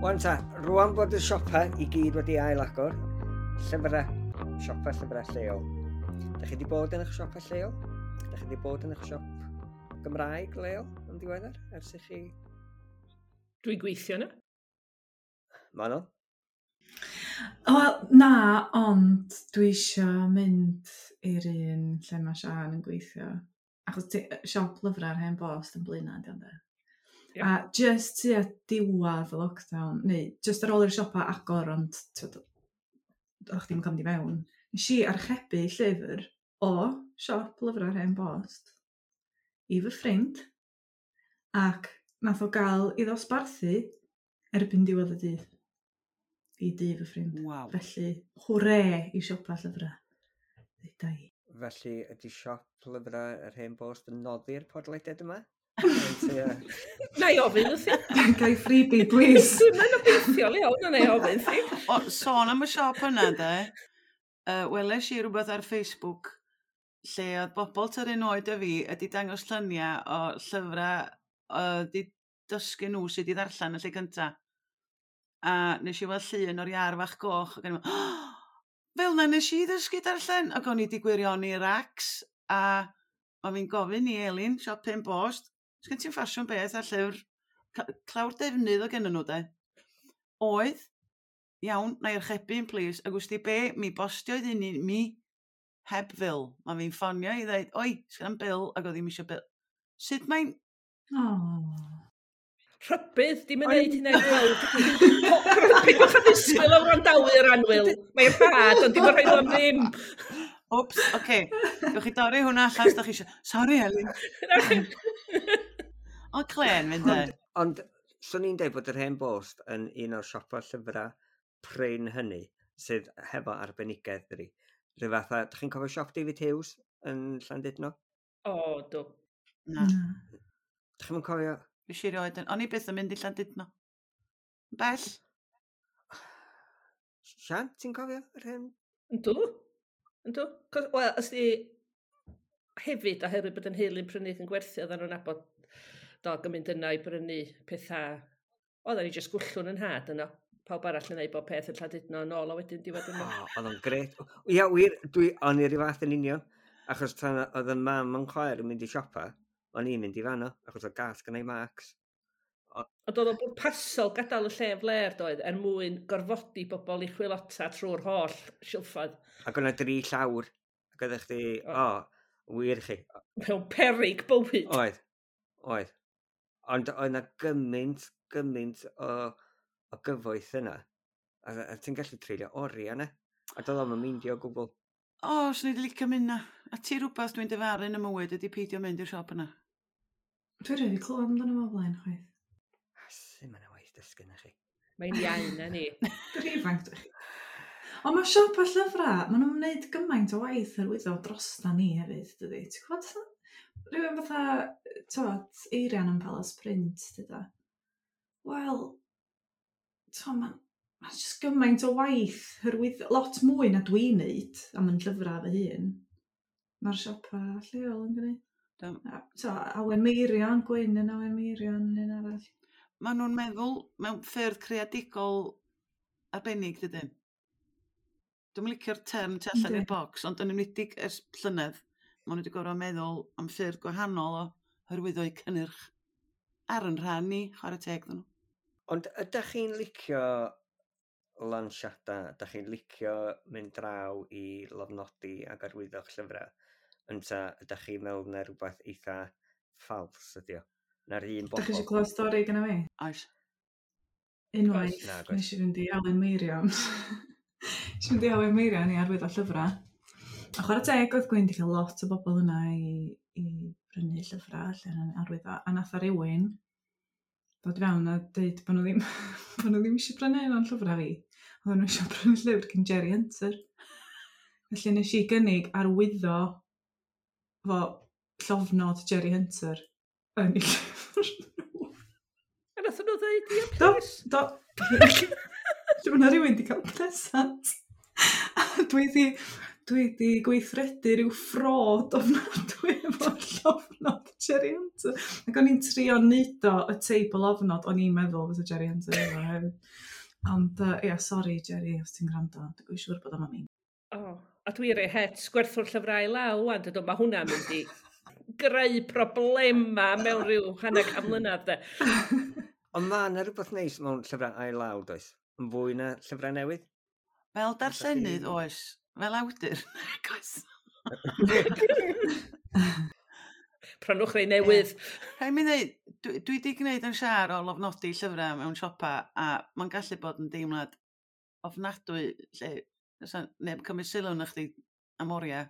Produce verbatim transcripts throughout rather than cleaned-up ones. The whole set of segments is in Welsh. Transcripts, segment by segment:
Wan ta, rwan bod y siopa i gyd wedi ail-agor, llyfrau, siopa llyfrau lleol. Da chi wedi bod yn eich siopa lleol? Da chi wedi bod yn eich siop Gymraeg leol yn ddiweddar ers i chi? Dwi'n gweithio yna. Manon? Wel, na, ond dwi eisiau mynd i'r un lle mae Sian yn gweithio. Achos ti, siop lyfrau ar Hen Bost yn Blaenau, di ond e. Ie. A just tua diwedd y lockdown, neu just ar ôl i'r siopa agor, ond t'wod, o'ch chdi'm yn cael mynd i mewn, nes i archebu llyfr o siop lyfrau ar Hen Bost i fy ffrind, ac nath o gael ei ddosbarthu erbyn diwedd y dydd i dŷ fy ffrind. Waw. Felly, hwre i siopa llyfrau. Deuda i. Felly, ydy siop lyfrau yr Hen Bost yn noddi'r podlediad yma? Ynte, Na i ofyn wrthi. Gai freebie, please. Dwi'n mynd obeithiol iawn, na i ofyn wrthi. O, sôn am y siop yna, de, uh, weles i rhywbeth ar Facebook lle oedd bobl tua'r un oed â fi ydi dangos lluniau o llyfrau uh, di dysgu nhw sut i ddarllen y lle cynta. A nes i weld llun o'r iar fach goch ac o'n i'n meddwl, oh, fel na nes i ddysgu darllen. Ac o'n i di gwirioni racs a o'n fi'n gofyn i Elin, siop Hen Bost, sgen ti'n ffasiwn beth a llyfr ca- clawr defnydd o gennyn nhw de. Oedd, iawn, na i archebu un please, ac wsti be, mi bostio iddyn ni, mi heb fil. Mae fi'n ffonio i ddweud, oi, sgan bil, ac oedd ddim eisiau bil. Sut mae'n Oh. Rhybudd, dim yn neud hynna i gweld. Peidiwch â ddisgwyl o wrandawyr annwyl. Mae'n rhad, ond dim yn rhoi am ddim. Wps, oce. Okay. Gewch chi dorri hwnna allan os da chi eisiau. Sorry, Elin. O, clen fynd e. Ond, ond swn i'n deud bod yr Hen Bost yn un o'r siopa llyfrau prin hynny sydd hefo arbenigedd dydi. Rhyw fath a, dych chi'n cofio siop David Hughes yn Llandudno? O, do. Na, Na. Dych chi'n cofio? fi si erioed yn... O'n i byth yn mynd i Llandudno. Bell. Sian, ti'n cofio yr hen? Yndw. Yndw. Cos, wel, os di hefyd, oherwydd bod yn heulu'n prynu ac yn gwerthu, oedden nhw'n nabod dog yn mynd yna i brynu pethau. Oedden ni jyst gwllwn yn had yno. Pawb arall yn neud bob peth yn Llandudno yn ôl a wedyn diwedd yma. O, oedd o'n gret. Ia, wir, dwi, o'n i ryw fath yn union. Achos tan oedd y mam yn chwaer yn mynd i siopa, o'n i'n mynd i fanno, achos oedd gas gynna i Max. Ond oedd o'n bwrpasol gadael y lle yn fler doedd, er mwyn gorfodi bobl i chwilota trwy'r holl silffoedd. Ac o'na dri llawr. Ac oeddech chdi, o, wir chi. Mewn perig bywyd. Oedd, oedd. Ond oedd na gymaint, gymaint o, o gyfoeth yna. A, a ti'n gallu treulio oriau yna. A doedd o'm yn meindio o gwbl. O, swn i wedi licio mynd na. A ti rhywbeth dwi'n dyfaru yn y mywyd ydy peidio mynd i'r siop yna. Dwi rhaid i clywed amdano fo o blaen, chwaith. A sy'n mynd waith dysgu na chi. Mae'n iau na ni. Dwi'n ifanc, dwi. Ond mae siop a llyfrau, maen nhw'n gwneud gymaint o waith hyrwyddo drosta ni hefyd, dydy. Ti'n gwybod, rhywun fatha, t'wod, Eirian yn Palace Print, dyda. Wel, t'wod, mae'n ma just gymaint o waith hyrwyddo, lot mwy na dwi'n neud am yn llyfrau fy hun. Mae'r siopa lleol yn gwneud. Do. A, t'o, Awen Meirion, Gwyn yn Awen Meirion, yn un arall. Maen nhw'n meddwl mewn ffyrdd creadigol arbennig, dydyn. Dwi'n licio'r term tu allan Yndi. i'r bocs, ond yn enwedig ers llynedd, maen nhw wedi gorfod meddwl am ffyrdd gwahanol o hyrwyddo'u cynnyrch ar yn rhan ni, chwarae teg iddyn nhw. Ond ydych chi'n licio lansiadau? Ydych chi'n licio mynd draw i lofnodi ac arwyddo'ch llyfrau? Ynta ydych chi'n meddwl na rhywbeth eitha ffals ydi o? Na'r un Dach chi bobl? eisiau clywed stori gyda fi? Oes. Unwaith, Nag oes. nes i fynd i Awen Meirion. Nes i fynd i Awen Meirion i arwyddo llyfrau. A chwarae teg oedd Gwyn wedi cael lot o bobl yna i, i brynu llyfrau allan yn arwyddo. A nath o rywun ddod i fewn a dweud bod nhw ddim, bod nhw ddim eisiau brynu un o'n llyfrau fi. Oedden nhw eisiau brynu llyfr cyn Jerry Hunter. Felly nes i gynnig arwyddo fo llofnod Jerry Hunter yn ei llyfr nhw. A nath nhw ddeud, ia, Do, please. do. Lle mae 'na rhywun wedi cael presant. A dwi di, Dwi wedi gweithredu rhyw ffrod ofnadwy efo'r llofnod Jerry Hunter. Ac o'n i'n trio neud o y teip o lofnod o'n i'n meddwl fysa Jerry Hunter efo hefyd. Ond, yy, ia, sori Jerry, os ti'n gwrando, dwi'n siŵr bod o'n mean. O, a dwi rei het gwerthwr llyfrau law wan, dydw, mae hwnna'n mynd i greu problema mewn rhyw hanner can mlynedd, de. Ond mae yna rhywbeth neis mewn llyfrau ail law, does? Yn fwy na llyfrau newydd? Fel darllenydd, oes. Fel awdur, nag oes. Prynwch rei newydd. Rhaid mi ddeud, dwi, dwi wedi gwneud yn siar o lofnodi llyfrau mewn siopa, a mae'n gallu bod yn deimlad ofnadwy lle fysa neb cymryd sylw na chdi am oriau.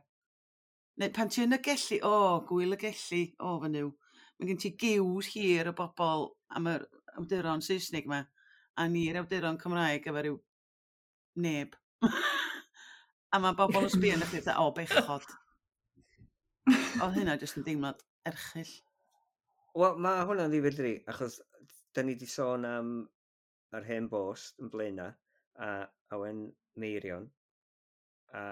Neu pan ti yn y Gelli, o, gwyl y Gelli, o fy Nuw. Mae gen ti giws hir o bobl am yr awduron Saesneg yma, a ni'r awduron Cymraeg efo ryw neb. A mae bobl yn sbio arna chdi fatha, o, bechod. Oedd hynna jyst yn deimlad erchyll. Wel, mae hwnna'n ddifyr dydi, achos da ni wedi sôn am yr Hen Bost yn Blaenau, a Awen Meirion, a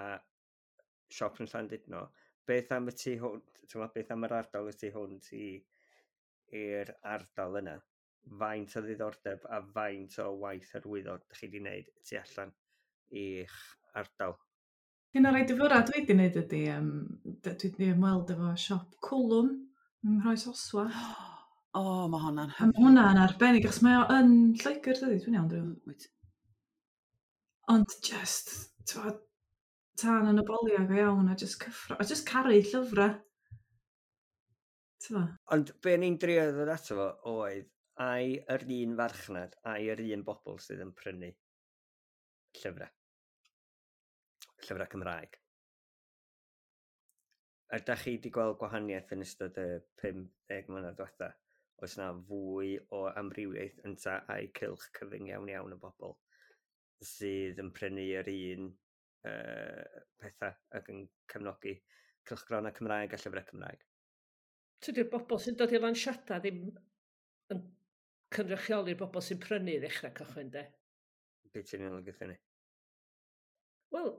siop yn Llandudno. Beth am y tu hwnt, ti'n beth am yr ardal y tu hwnt i i'r ardal yna? Faint o ddiddordeb a faint o waith hyrwyddo ydych chi wedi wneud tu allan i'ch ardal? Un o'r rhai difyra dwi wedi wneud ydy, um, dwi wedi ymweld efo siop Cwlwm yng Nghroesoswallt. O, mae hwnna'n A mae hwnna'n arbennig, achos mae o yn Lloegr, dydy, dwi'n iawn, dwi'n. Wyt. Ond just, ti'n tân yn y boliau go iawn, a just cyffro, a just caru llyfrau. Ti'n Ond be ni'n drio ddod ato fo oedd, ai yr un farchnad, ai yr un bobl sydd yn prynu llyfrau. Llyfrau Cymraeg. Ydych chi wedi gweld gwahaniaeth yn ystod y pum deg mlynedd diwetha? Oes na fwy o amrywiaeth ynta ai cylch cyfyng iawn iawn o bobl sydd yn prynu yr un uh, pethau ac yn cefnogi cylchgronau Cymraeg a llyfrau Cymraeg? Tydi'r bobl sy'n dod i lansiadau ddim yn cynrychioli'r bobl sy'n prynu i ddechrau cychwyn, de. Be ti'n ei olygu hynny? Wel,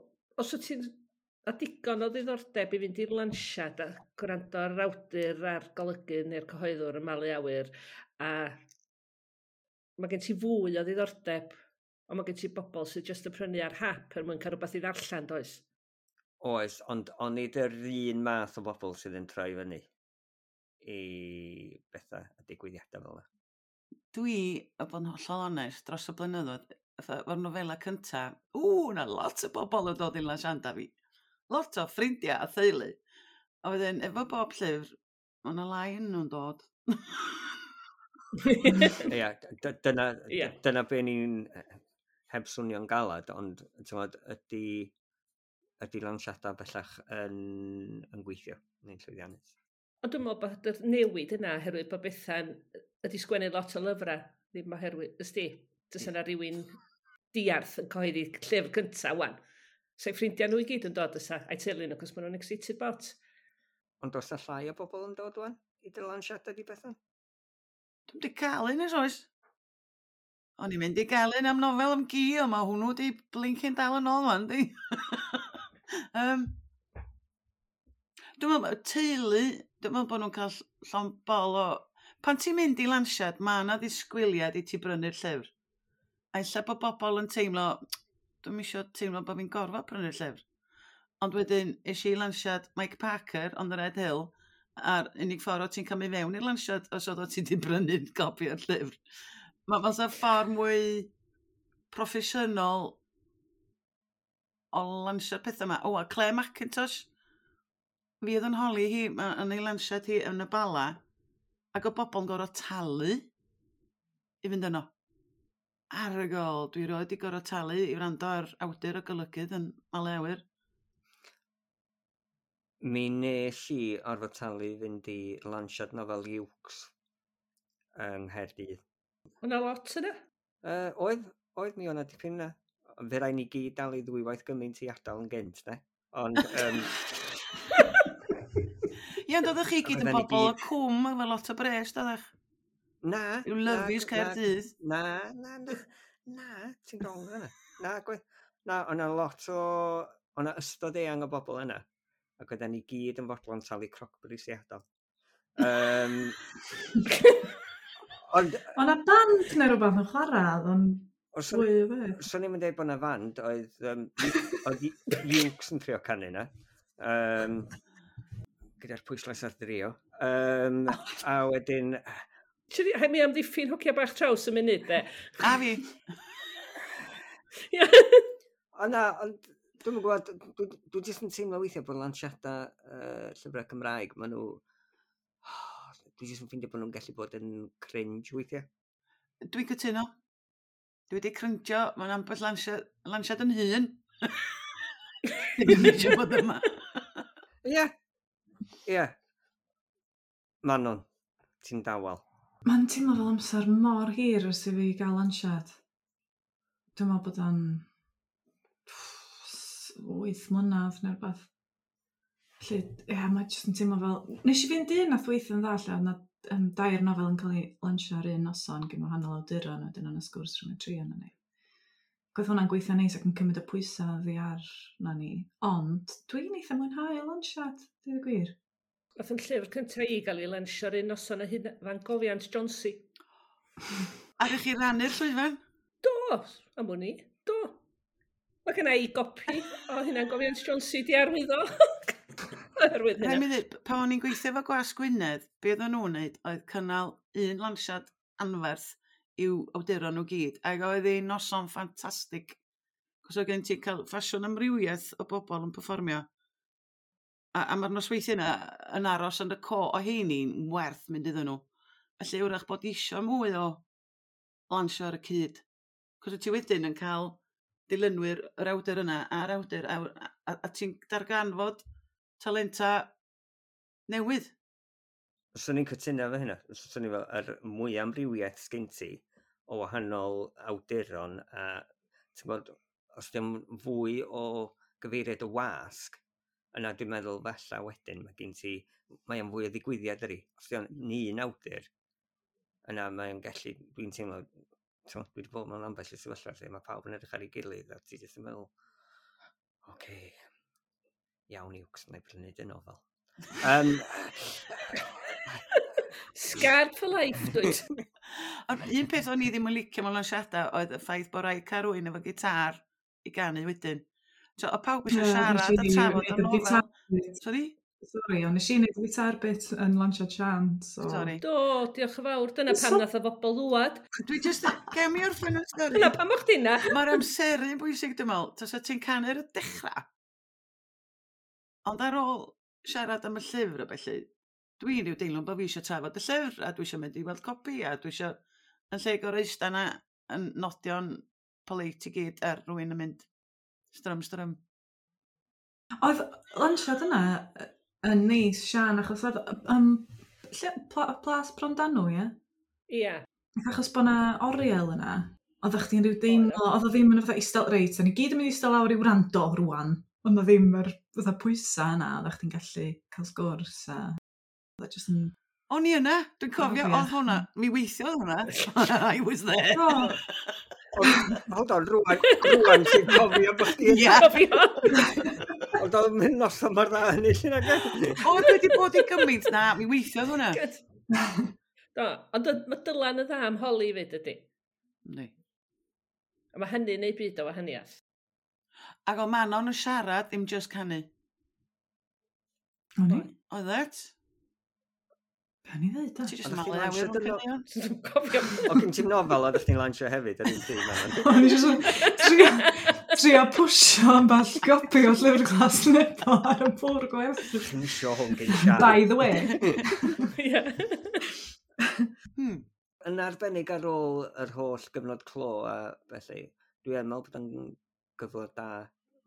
os wyt ti'n a digon o ddiddordeb i fynd i'r lansiad a gwrando ar yr awdur a'r golygydd neu'r cyhoeddwr yn malu awyr, a mae gen ti fwy o ddiddordeb, ond mae gen ti bobl sydd jyst yn prynu ar hap er mwyn cael rhywbeth i ddarllen, does? Oes, ond onid yr un math o bobl sydd yn troi fyny i bethau a digwyddiadau fel yna. Dwi, a bod yn hollol onest, dros y blynyddoedd, fatha, efo'r nofela cynta, ww, na lot o bobl yn dod i'n lansiadau fi. Lot o ffrindiau a theulu. A wedyn, efo bob llyfr, mae yna lai yn nhw'n dod. Ia, dyna, Ie. dyna be ni'n heb swnio'n galad, ond t'mod, ydy, ydy lansiadau bellach yn, yn gweithio neu'n llwyddiannus. Ond dwi'n meddwl bod y newid yna oherwydd bod Bethan ydi sgwennu lot o lyfrau, ddim oherwydd, ysdi, does yna rhywun diarth yn cyhoeddi llyfr cyntaf wan. Sa'i ffrindiau nhw i gyd yn dod ysa, a'i teulu nhw, cos maen nhw'n excited bot. Ond oes 'na llai o bobl yn dod wan i dy lansiadau di Bethan? Dwi'm di cael un ers oes. O'n i'n mynd i gael un am nofel am gi, ond mae hwnnw di blincin dal yn ôl wan, di. um, dwi'n meddwl, teulu, dwi'n meddwl bod nhw'n cael llond bol o... Pan ti'n mynd i lansiad, mae yna ddisgwyliad i ti brynu'r llyfr. A ella bod bobl yn teimlo, dwi'm isio teimlo bod fi'n gorfod prynu'r llyfr. Ond wedyn, es i lansiad Mike Parker on the Red Hill, a'r unig ffordd o ti'n cael mynd fewn i'r lansiad os oedd o ti wedi brynu gopi o'r llyfr. Mae fatha ffordd mwy proffesiynol o lansio'r pethau yma. O, a Clare Mackintosh, fi oedd yn holi hi ma- yn ei lansiad hi yn y Bala, ac o bobl yn gorfod talu i fynd yno. Ar y gol, dwi roed i gorfod talu i wrando ar awdur o golygydd yn malu awyr. Mi nes i orfod talu i fynd i lansiad nofel Iwcs yng Nghaerdydd. O'na lot yna? Uh, oedd, oedd mi o'na dipyn yna. Fe rai ni gyd dalu ddwywaith gymaint i adael yn gynt, ne? Ond, um, Ie, ond oeddech chi gyd yn Oedden ni bobl o gyd- cwm efo lot o bres, doeddech? na. Yw lyfis na, Caerdydd. Na, na, na, na, ti'n wrong yna. Na, gwe, na, o'na lot o, O'na ystod eang o bobl yna, ac oedden ni gyd yn fodlon talu crocbris i adael. Um, ond O'na band neu rhywbeth yn chwarae, oedd o'n os fwy o beth. Swn i'm yn dweud bod 'na fand, oedd, um, oedd Iwcs yn trio canu na. Um, gyda'r pwyslais ar drio. Um, a wedyn, Hei mi amddiffyn hogia bach traws y munud, de. A fi. Ie. O na, ond dwi'm yn gwybod, dwi, dwi jyst yn teimlo weithiau bod lansiadau uh, llyfrau Cymraeg, maen nhw, dwi jyst yn ffeindio bod nhw'n gallu bod yn cringe weithiau. Dwi'n cytuno. Dwi wedi cringio, mae'n ambell lansiad, lansiad yn hun. Ddim eisiau bod yma. Ie, ie. Manon, ti'n dawel. Mae'n teimlo fel amser mor hir ers i fi gael lansiad. Dwi'n meddwl bod o'n wyth mlynedd neu rhywbeth. Felly, ie, yeah, mae jyst yn teimlo fel... Nes i fynd un nath weithio'n dda lle, oedd 'na um, dair nofel yn cael ei lansio ar un noson gen wahanol awduron, a wedyn o'n y sgwrs rhwng y tri yna ni. Oedd hwnna'n gweithio neis ac yn cymryd y pwysau oddi ar na ni. Ond dwi'n eitha mwynhau y lansiad, dweud y gwir. Nath yn llyfr cyntaf i gael ei lansio'r un noson a hyn Fangofiant Jonsi. A rych chi rannu'r llwyfan? Do, am wn i, do. Mae gen i gopi o Hunangofiant Jonsi di arwyddo. Oherwydd Rhaid hynna. mi ddweud, pan o'n i'n gweithio efo Gwasg Gwynedd, be oedden nhw'n wneud oedd cynnal un lansiad anferth i'w awduron nhw gyd, ac oedd hi'n noson ffantastig. Cos oedd gen ti cael ffasiwn amrywiaeth o bobl yn perfformio. A, a mae'r nosweithiau yna yn aros yn y co o heini'n werth mynd iddyn nhw. Felly wrach bod isio mwy o lansio ar y cyd. Cos wyt ti wedyn yn cael dilynwyr yr awdur yna a'r awdur, a, a, a ti'n darganfod talenta newydd. Swn i'n cytuno efo hynna. Swn i'n fel, yr mwy amrywiaeth sgyn ti o wahanol awduron a ti'n gwbod, os dim fwy o gyfeiriad y wasg, yna dwi'n meddwl falla wedyn mae gen ti, mae o'n fwy o ddigwyddiad ydi. Os di o'n un awdur, yna mae'n gallu, dwi'n teimlo, ti'n gwbod, dwi wedi bod mewn ambell i sefyllfa lle mae pawb yn edrych ar ei gilydd a ti jyst yn meddwl, oce, okay, iawn Iwcs, na i prynu dy nofel. Um, Scarred for life, dwyt. Ond un peth o'n i ddim yn licio mewn lansiadau oedd y ffaith bod rhaid cael rhywun efo gitar i ganu wedyn. So, o pawb eisiau Ie, siarad nes a i trafod wneud y y nofel. gitar bit. Sorry? Sorry, ond nes i wneud y gitar bit yn lansiad Sian, so... Sorry. Do, diolch yn fawr. Dyna pam So- nath o bobl ddwad. Dwi just, gael mi orffen y stori. Dyna pam o'ch di na. Mae'r amseru yn bwysig, dwi'n meddwl. Tasa ti'n canu ar y dechrau. Ond ar ôl siarad am y llyfr a felly, dwi'n rhyw deimlo bod fi eisiau trafod y llyfr, a dwi eisiau mynd i weld copi, a dwi eisiau yn lle gorau eistedd yna yn nodio'n polite i gyd ar rhywun yn mynd strym strym. Oedd lansiad yna yy, yn neis, Sian, achos oedd... Um, lle, pla, Plas Brondanw, ie? Ia. Achos bod 'na oriel yna, oeddech chdi'n rhyw deimlo, oedd o ddim yn fatha eistedd, reit, da ni gyd yn mynd i eistedd lawr i wrando rwan. Ond o ddim yr fatha pwysa yna, oeddech chdi'n gallu cael sgwrs a... Oedd o jyst yn... O'n i yna, dwi'n cofio, Profiad. oedd hwnna, mi weithiodd hwnna. I was there. O, Ond, hold on, rwan, rwan ti'n cofio bod chdi Ie. Cofio. Ond oedd mynd noson mor dda hynny llun ag e? O, dwi wedi bod i gymaint na, mi weithiodd hwnna. Good. Do, ond dy- mae Dylan yn dda am holi fyd ydy. Yndi. A mae hynny'n neud byd o wahaniaeth. Ac o Manon yn siarad, ddim just canu. O'n i? Oedd it? Be o'n i ddeud, da? Ti jyst Oeddech yn chdi'n malu awyr lansio o'n dy no- caneuon. Dwi'n cofio. O, gen ti'n nofel oeddech chdi'n lansio hefyd ar un pryd, Manon? O'n i jyst yn trio, trio pwsio ambell gopi o Llyfr Glas Nebo ar y bwrdd gwerthu. Ti'n isio hwn gen Sian. By the way. Ie. Hmm. Yn arbennig ar ôl yr holl gyfnod clo a felly, dwi yn meddwl bod yn gyfle da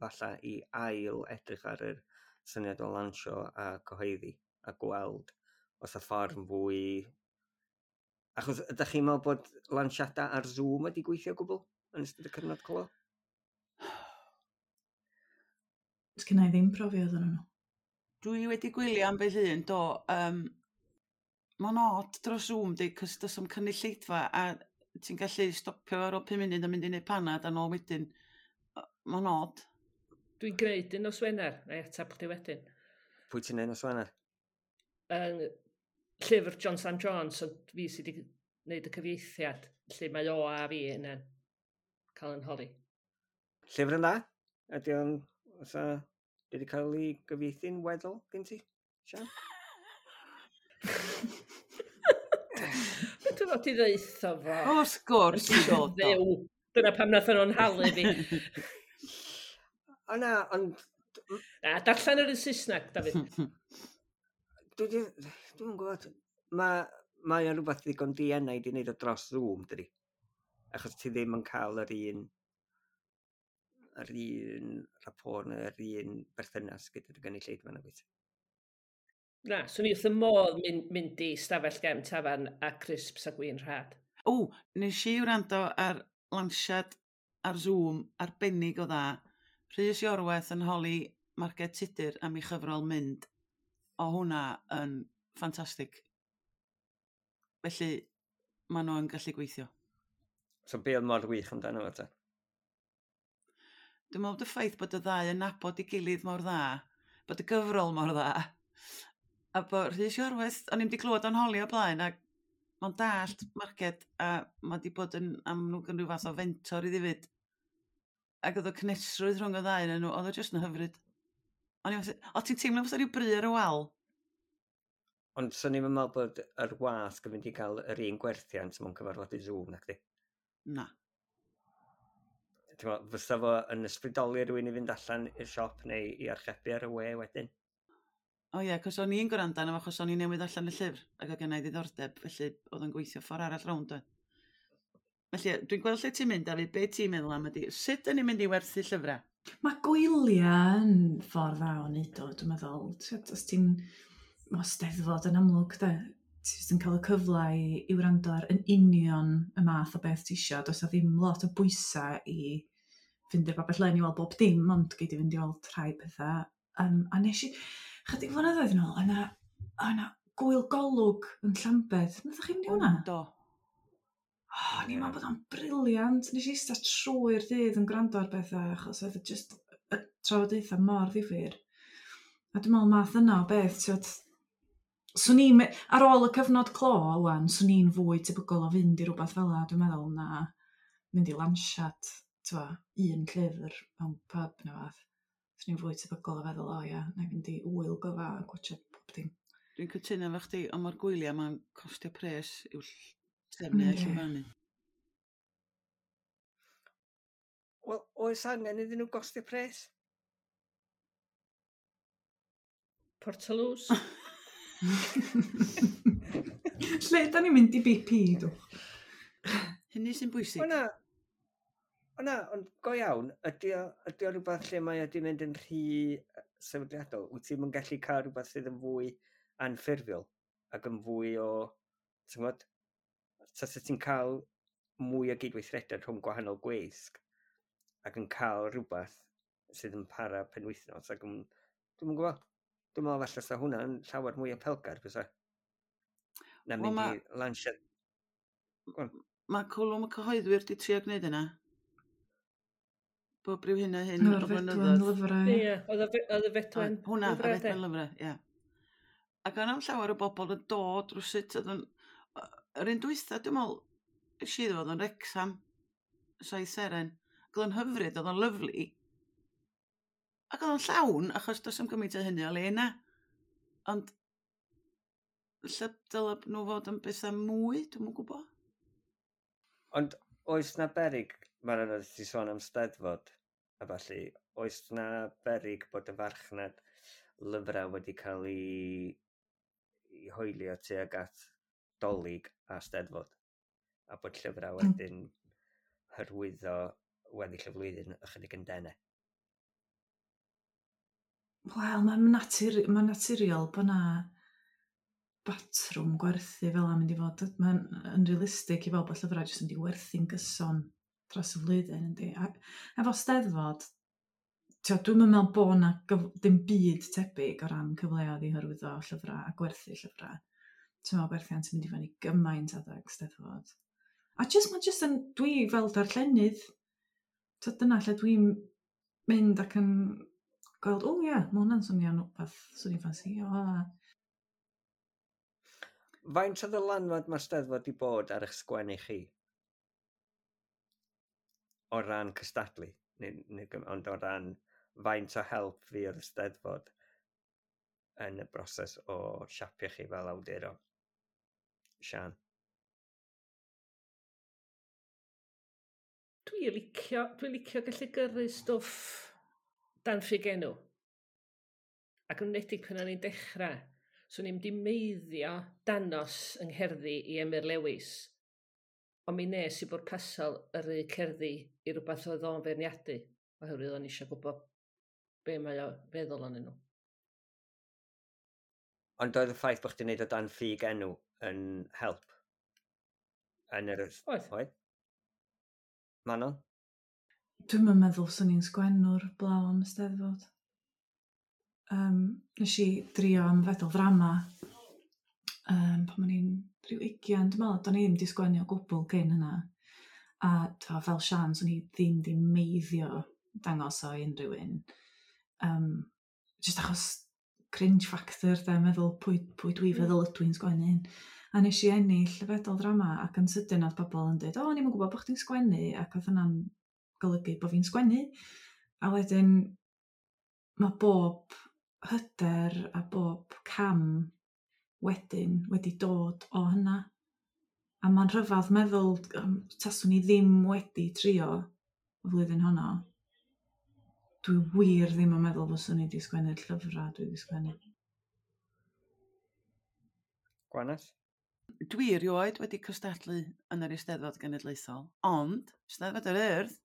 falle i ail edrych ar yr syniad o lansio a cyhoeddi a gweld os y ffordd yn fwy... Achos ydych chi'n meddwl bod lansiadau ar Zoom wedi gweithio o gwbl yn ystod y cyfnod clo? Sgynna i ddim profiad yn nhw. Dwi wedi gwylio ambell un, do. Um, Mae'n odd dros Zoom, di, cos does 'am cynulleidfa a ti'n gallu stopio ar ôl pum munud a mynd i neud panad a nôl wedyn. Mae'n odd. Dwi'n gwneud un nos Wener, na i atab chdi wedyn. Pwy ti'n neud nos Wener? Yn llyfr John Sam Jones, ond fi sydd wedi gwneud y cyfieithiad, lle mae o a fi yna'n cael yn holi. Llyfr yn dda? Ydy o'n... Oes wedi cael ei gyfieithu'n weddol gen ti? Sian? Beth dwi'n fod i ddeutho fo? Wrth gwrs i ddod o. Dyna pam nath nhw'n halu fi. O na, ond... Na, darllen yr un Saesneg, Dafydd. Dwi'n dwi gwybod. Mae mae o'n rhywbeth ddigon dienau i wneud o dros Zoom, dydi? Achos ti ddim yn cael yr un yr un rapport neu yr un berthynas gyda'r gynulleidfa na wyt. Na, swn i wrth y modd mynd, mynd i stafell gefn tafarn a crisps a gwin rhad. O, nes i wrando ar lansiad ar Zoom arbennig o dda. Rhys Iorwerth yn holi Marged Tudur am ei chyfrol Mynd. O hwnna yn ffantastig. Felly, maen nhw yn gallu gweithio. So be oedd mor wych amdano fo ta? Dwi'n meddwl bod y ffaith bod y ddau yn nabod ei gilydd mor dda, bod y gyfrol mor dda, a bod Rhys Iorwerth, o'n i'm 'di clywed o'n holi o blaen, ac mae'n dallt Marged, a mae 'di bod yn amlwg yn rhyw fath o fentor iddi fyd. Ac oedd y cynhesrwydd rhwng y ddau yn nhw, oedd o jyst yn hyfryd. O'n i'n meddwl, o ti'n teimlo fatha rhyw bry ar y wal? Ond swn i'n meddwl bod yr wasg yn mynd i gael yr un gwerthiant mewn cyfarfodydd Zoom, nacdi? Na. Ti'n meddwl, fysa fo yn ysbrydoli rhywun i fynd allan i'r siop neu i archebu ar y we wedyn? O ie, cos o'n i'n gwrando arno fo, achos o'n i'n newydd allan y llyfr, ac oedd gennai ddiddordeb, felly oedd o'n gweithio ffordd arall rownd oedd. Felly, dwi'n gweld lle ti'n mynd, Dafydd, be ti'n meddwl am ydi, sut ydyn ni'n mynd i werthu llyfrau? Mae gwyliau yn ffordd dda o wneud o, dwi'n meddwl. Ti'n os ti'n... Mae Steddfod yn amlwg, de. Ti jyst yn cael y cyfle i, i wrando ar yn union y math o beth ti isio. Does 'na ddim lot o bwysau i fynd i'r babell len i weld bob dim, ond gei di fynd i weld rhai pethau. Um, a nes i, chydig flynyddoedd yn ôl, yna, yna gwyl golwg yn Llambed. Nathoch chi fynd i hwnna? Do. O, o'n i'n meddwl bod o'n brilliant. Nes i eistedd trwy'r dydd yn gwrando ar bethau, achos oedd o just y trafodaethau mor ddifyr. A dwi'n meddwl math yna o beth, ti'n swn i'n, ar ôl y cyfnod clo, wan, swn i'n fwy tebygol o fynd i rhywbeth fel 'na, dwi'n meddwl, na mynd i lansiad, t'mo, un llyfr mewn pub neu fath. Swn i'n fwy tebygol o feddwl, o ia, na i fynd i ŵyl gyfa a gwatsiad pob dim. Dwi'n cytuno efo chdi, ond mae'r gwyliau ma'n costio pres i'w trefnu a Yndi. llwyfannu. Wel, oes angen iddyn nhw gostio pres? Portaloos. Lle da ni'n mynd i B P, dwch? Hynny sy'n bwysig. O na, o na, ond go iawn, ydy o, ydy o rhywbeth lle mae o 'di mynd yn rhy sefydliadol? Wyt ti'm yn gallu cael rhywbeth sydd yn fwy anffurfiol ac yn fwy o, ti'n gwybod, tasa ti'n cael mwy o gydweithrediad rhwng gwahanol gweisg ac yn cael rhywbeth sydd yn para penwythnos ac yn, dwi'm yn gwybod, dwi'n meddwl falle sa hwnna'n llawer mwy apelgar bysa. Na Wel, mynd ma- i lansiad. Go on. Mae Cwlwm y Cyhoeddwyr 'di trio gwneud yna. Bob rhyw hyn a hyn O'r o fedwen flynyddoedd. lyfrau. Ie, oedd y fe- oedd y fedwen Oedd, hwnna, y lyfrau, de? fedwen lyfrau, ie. Ac o'n am llawer o bobl yn dod rywsut, oedd yn... Yr un dwytha, dwi'n meddwl, es i iddo fo, oedd o'n Wrecsam, Saith Seren. Ac oedd o'n hyfryd, oedd o'n lyfli. Ac oedd o'n llawn, achos does 'am gymaint o hynny o le yna. Ond lle dylai nhw fod yn bethau mwy, dwi'm yn gwybod. Ond oes na berig, mae'n anodd i ti sôn am Steddfod a ballu, oes na berig bod y farchnad lyfrau wedi cael ei, ei hoelio tuag at Dolig a Steddfod, a bod llyfrau Mm. wedyn hyrwyddo weddill y flwyddyn ychydig yn denau? Wel, mae'n natur, mae'n naturiol bod na batrwm gwerthu fel 'na mynd i fod. Mae'n yn realistig i fel bod llyfrau jyst yn mynd i werthu'n gyson dros y flwyddyn, yndi. A efo Steddfod, t'o, dwi'm yn meddwl bod na gyf- dim byd tebyg o ran cyfleoedd i hyrwyddo llyfrau a gwerthu llyfrau. Ti'n meddwl gwerthiant yn mynd i fyny gymaint adeg Steddfod. A jyst, mae jyst yn, dwi fel darllenydd, t'o, dyna lle dwi'n mynd ac yn gweld, o ie, mae hwnna'n swnio'n rhywbeth swn i'n ffansio. A... Faint o ddylanwad mae'r Steddfod 'di bod ar eich sgwennu chi? O ran cystadlu, neu, neu, ond o ran faint o help fuodd y Steddfod yn y broses o siapio chi fel awduron? Sian? Dwi'n licio, dwi'n licio gallu gyrru stwff dan ffug enw. Ac yn enwedig pan o'n i'n dechrau, so o'n i'n di meiddio danos yng ngherddi i Emyr Lewis. Ond mi nes i bwrpasol yrru cerddi i rywbeth oedd o'n feirniadu, oherwydd o'n i eisiau gwybod be mae o feddwl onyn nhw. Ond oedd y ffaith bod chdi'n neud o dan ffug enw yn help? Yn yr... Oedd. Oedd? Manon? Dwi'm yn meddwl swn i'n sgwennwr blaw am y Steddfod. Um, nes i drio am fedal ddrama um, pan o'n i'n rhyw ugian, dwi'n meddwl, do'n i ddim 'di sgwennu o gwbl cyn hynna. A t'o, fel Sian, swn i ddim 'di meiddio dangos o i unrhyw un. Um, just achos cringe factor, de, meddwl pwy, pwy dwi feddwl ydw i'n sgwennu hyn. A nes i ennill y fedal ddrama ac yn sydyn oedd bobl yn dweud, o, o'n i'm yn gwybod bod chdi'n sgwennu, ac oedd hynna'n golygu bod fi'n sgwennu. A wedyn mae bob hyder a bob cam wedyn wedi dod o hynna. A mae'n rhyfedd meddwl, um, taswn i ddim wedi trio y flwyddyn honno, dwi wir ddim yn meddwl fyswn i wedi sgwennu'r llyfrau dwi wedi sgwennu. Gwanas? Dwi erioed wedi cystadlu yn yr Eisteddfod Genedlaethol, ond Steddfod yr Urdd,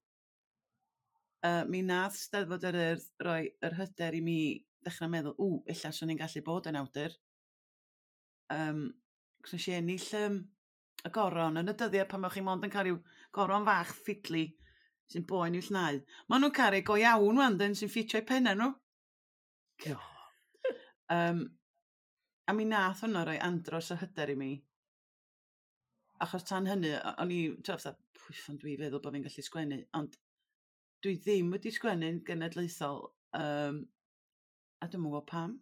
uh, mi nath Steddfod yr Urdd roi yr hyder i mi ddechrau meddwl, ww, ella swn i'n gallu bod yn awdur. Um, cos nes i ennill um, y goron yn y dyddiau pan o'ch chi mond yn cael rhyw goron fach ffidli sy'n boen i'w llnau. Maen nhw'n cael ei go iawn wan, dyn, sy'n ffitio eu pennau nhw. Um, a mi nath hwnna roi andros o hyder i mi. Achos tan hynny, o'n i, ti'n fatha, pwy ffon dwi feddwl bod fi'n gallu sgwennu, ond dwi ddim wedi sgwennu'n genedlaethol, um, a dwi'm yn gwybod pam.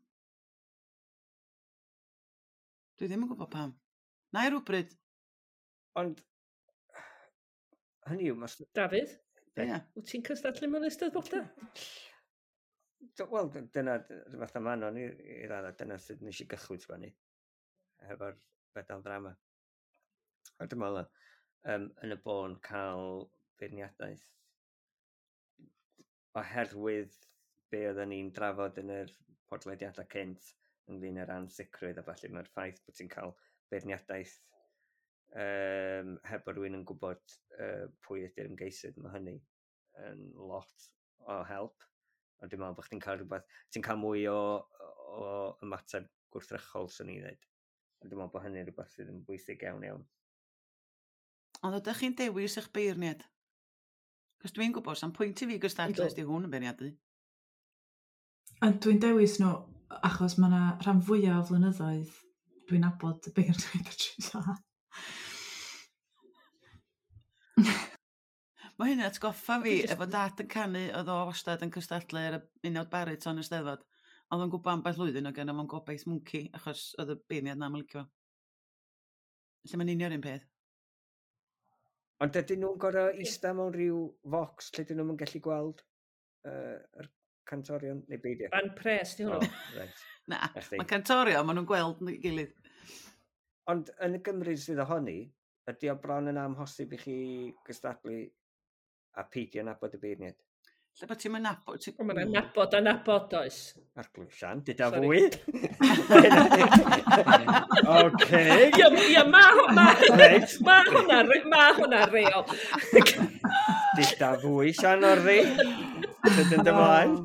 Dwi ddim yn gwybod pam. Na i rhywbryd. Ond, hynny yw, mas... Dafydd? Ie. Wyt ti'n cystadlu mewn eisteddfodau? Wel, dyna, fatha Manon i, i raddau, dyna sut nes i gychwyn sgwennu hefo'r fedal ddrama. A dwi'n meddwl, um, yn y bôn cael beirniadaeth oherwydd be oedden ni'n drafod yn yr podlediadau cynt ynglyn â'r ansicrwydd a falle mae'r ffaith bod ti'n cael beirniadaeth um, heb bod rhywun yn gwybod uh, pwy ydy'r ymgeisydd, mae hynny yn lot o help. Ond dwi'n meddwl bod chdi'n cael rhywbeth, ti'n cael mwy o, o ymateb gwrthrychol, swn i'n dweud. Ond dwi'n meddwl bod hynny'n rhywbeth sydd yn bwysig iawn iawn. Ond ydych chi'n dewis eich beirniad? Cos dwi'n gwybod, sa'n pwynt i fi gystadlu os di hwn yn beirniadu. Ond dwi'n dewis nhw achos mae yna rhan fwyaf o flynyddoedd dwi'n nabod y beirniaid y tri dda. Mae hynny atgoffa fi efo dad yn canu, oedd o wastad yn cystadlu ar y unawd bariton y Steddfod. Oedd o'n gwybod ambell flwyddyn oedd gynno fo'n gobaith mwnci, achos oedd y beirniad na'm yn licio fo. Felly mae'n union un peth. Ond ydyn nhw'n gorfod ista mewn rhyw focs lle dyn nhw'n gallu gweld uh, yr cantorion neu beidio? Ban pres di hwnnw. Oh, right. Na, mae cantorion, maen nhw'n gweld nhw gilydd. Ond yn y Gymru sydd ohoni, ydy o bron yn amhosib i chi gystadlu a peidio nabod y beirniad? Lle bod ti'n mynd nabod? Ti... Mae'n nabod a nabod oes. Arglwydd Sian, dyda Sorry. Fwy. Oce. Ia, ia, ma, ma, Reit. ma hwnna, ma hwnna reol. Dyda fwy, Sian, o'r ddi. Dydyn ymlaen.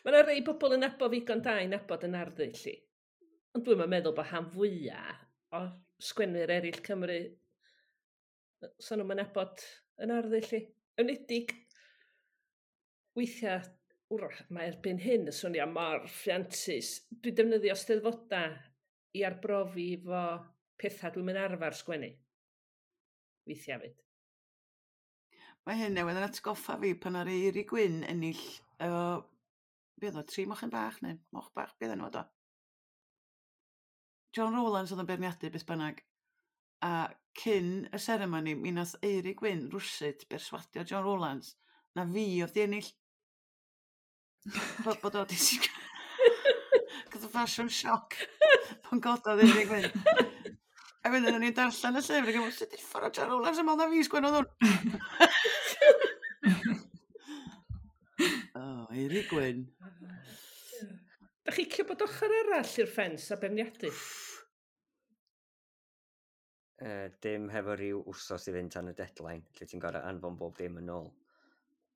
Mae yna rei bobl yn nabod ddigon da i nabod yn arddull i. Ond dwi'm yn meddwl bod han fwyaf o sgwennwyr eraill Cymru so nhw'n nabod yn arddull i. Enwedig, weithiau, wrach, mae erbyn hyn yn swnio mor ffiantus. Dwi'n defnyddio steddfodau i arbrofi efo pethau dwi'n mynd arfer sgwennu. Weithiau fyd. Mae hyn newydd yn atgoffa fi pan ar Eiri Gwyn ennill Efo, be oedd o, tri mochyn bach neu moch bach, be oedd enw o? John Rowlands oedd yn beirniadu beth bynnag. A cyn y seremoni, mi nath Eirig Wyn rwsut berswadio John Rowlands na fi oedd di ennill. Bod, bod o di... Gath o fashion shock pan gododd Eirig Wyn. A wedyn o'n i'n darllen y llyfr ac yn meddwl, sut uffar o John Rowlands yn meddwl na fi sgwennodd hwn? Oh, Eirig Wyn. Da chi licio bod ochr arall i'r ffens a beirniadu? Uh, dim hefo rhyw wsos i fynd tan y deadline, lle ti'n gorau anfon bob dim yn ôl,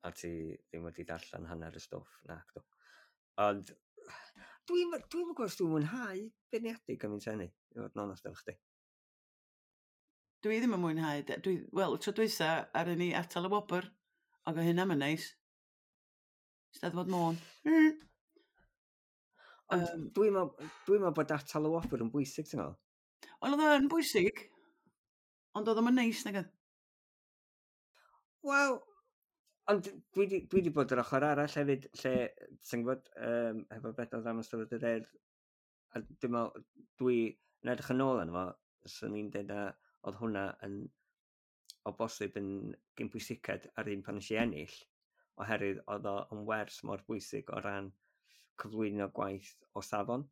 a ti ddim wedi darllen hanner y stwff, nac do. Ond dwi'n dwi gwybod os dwi'n mwynhau beirniadu gymaint hynny, i fod yn onest efo chdi. Dwi ddim yn mwynhau. Dwi, wel, tro dwytha ar ni atal y wobr, ac o hynna yn neis. Steddfod Môn. Mm. Ond um, dwi'n meddwl dwi meddwl bod atal y wobr yn bwysig, ti'n meddwl? Wel, oedd o'n bwysig, ond oedd o'n neis, nag oedd? Wel, ond dwi di, dwi di bod yr ochr arall hefyd, lle, ti'n gwybod, um, hefo Fedal Ddrama Steddfod yr Urdd, a dwi'n meddwl, dwi yn edrych yn ôl arno fo, swn i'n dweud na oedd hwnna yn, o bosib yn gyn bwysiced ar un pan nes i ennill, oherwydd oedd o yn wers mor bwysig o ran cyflwyno gwaith o safon.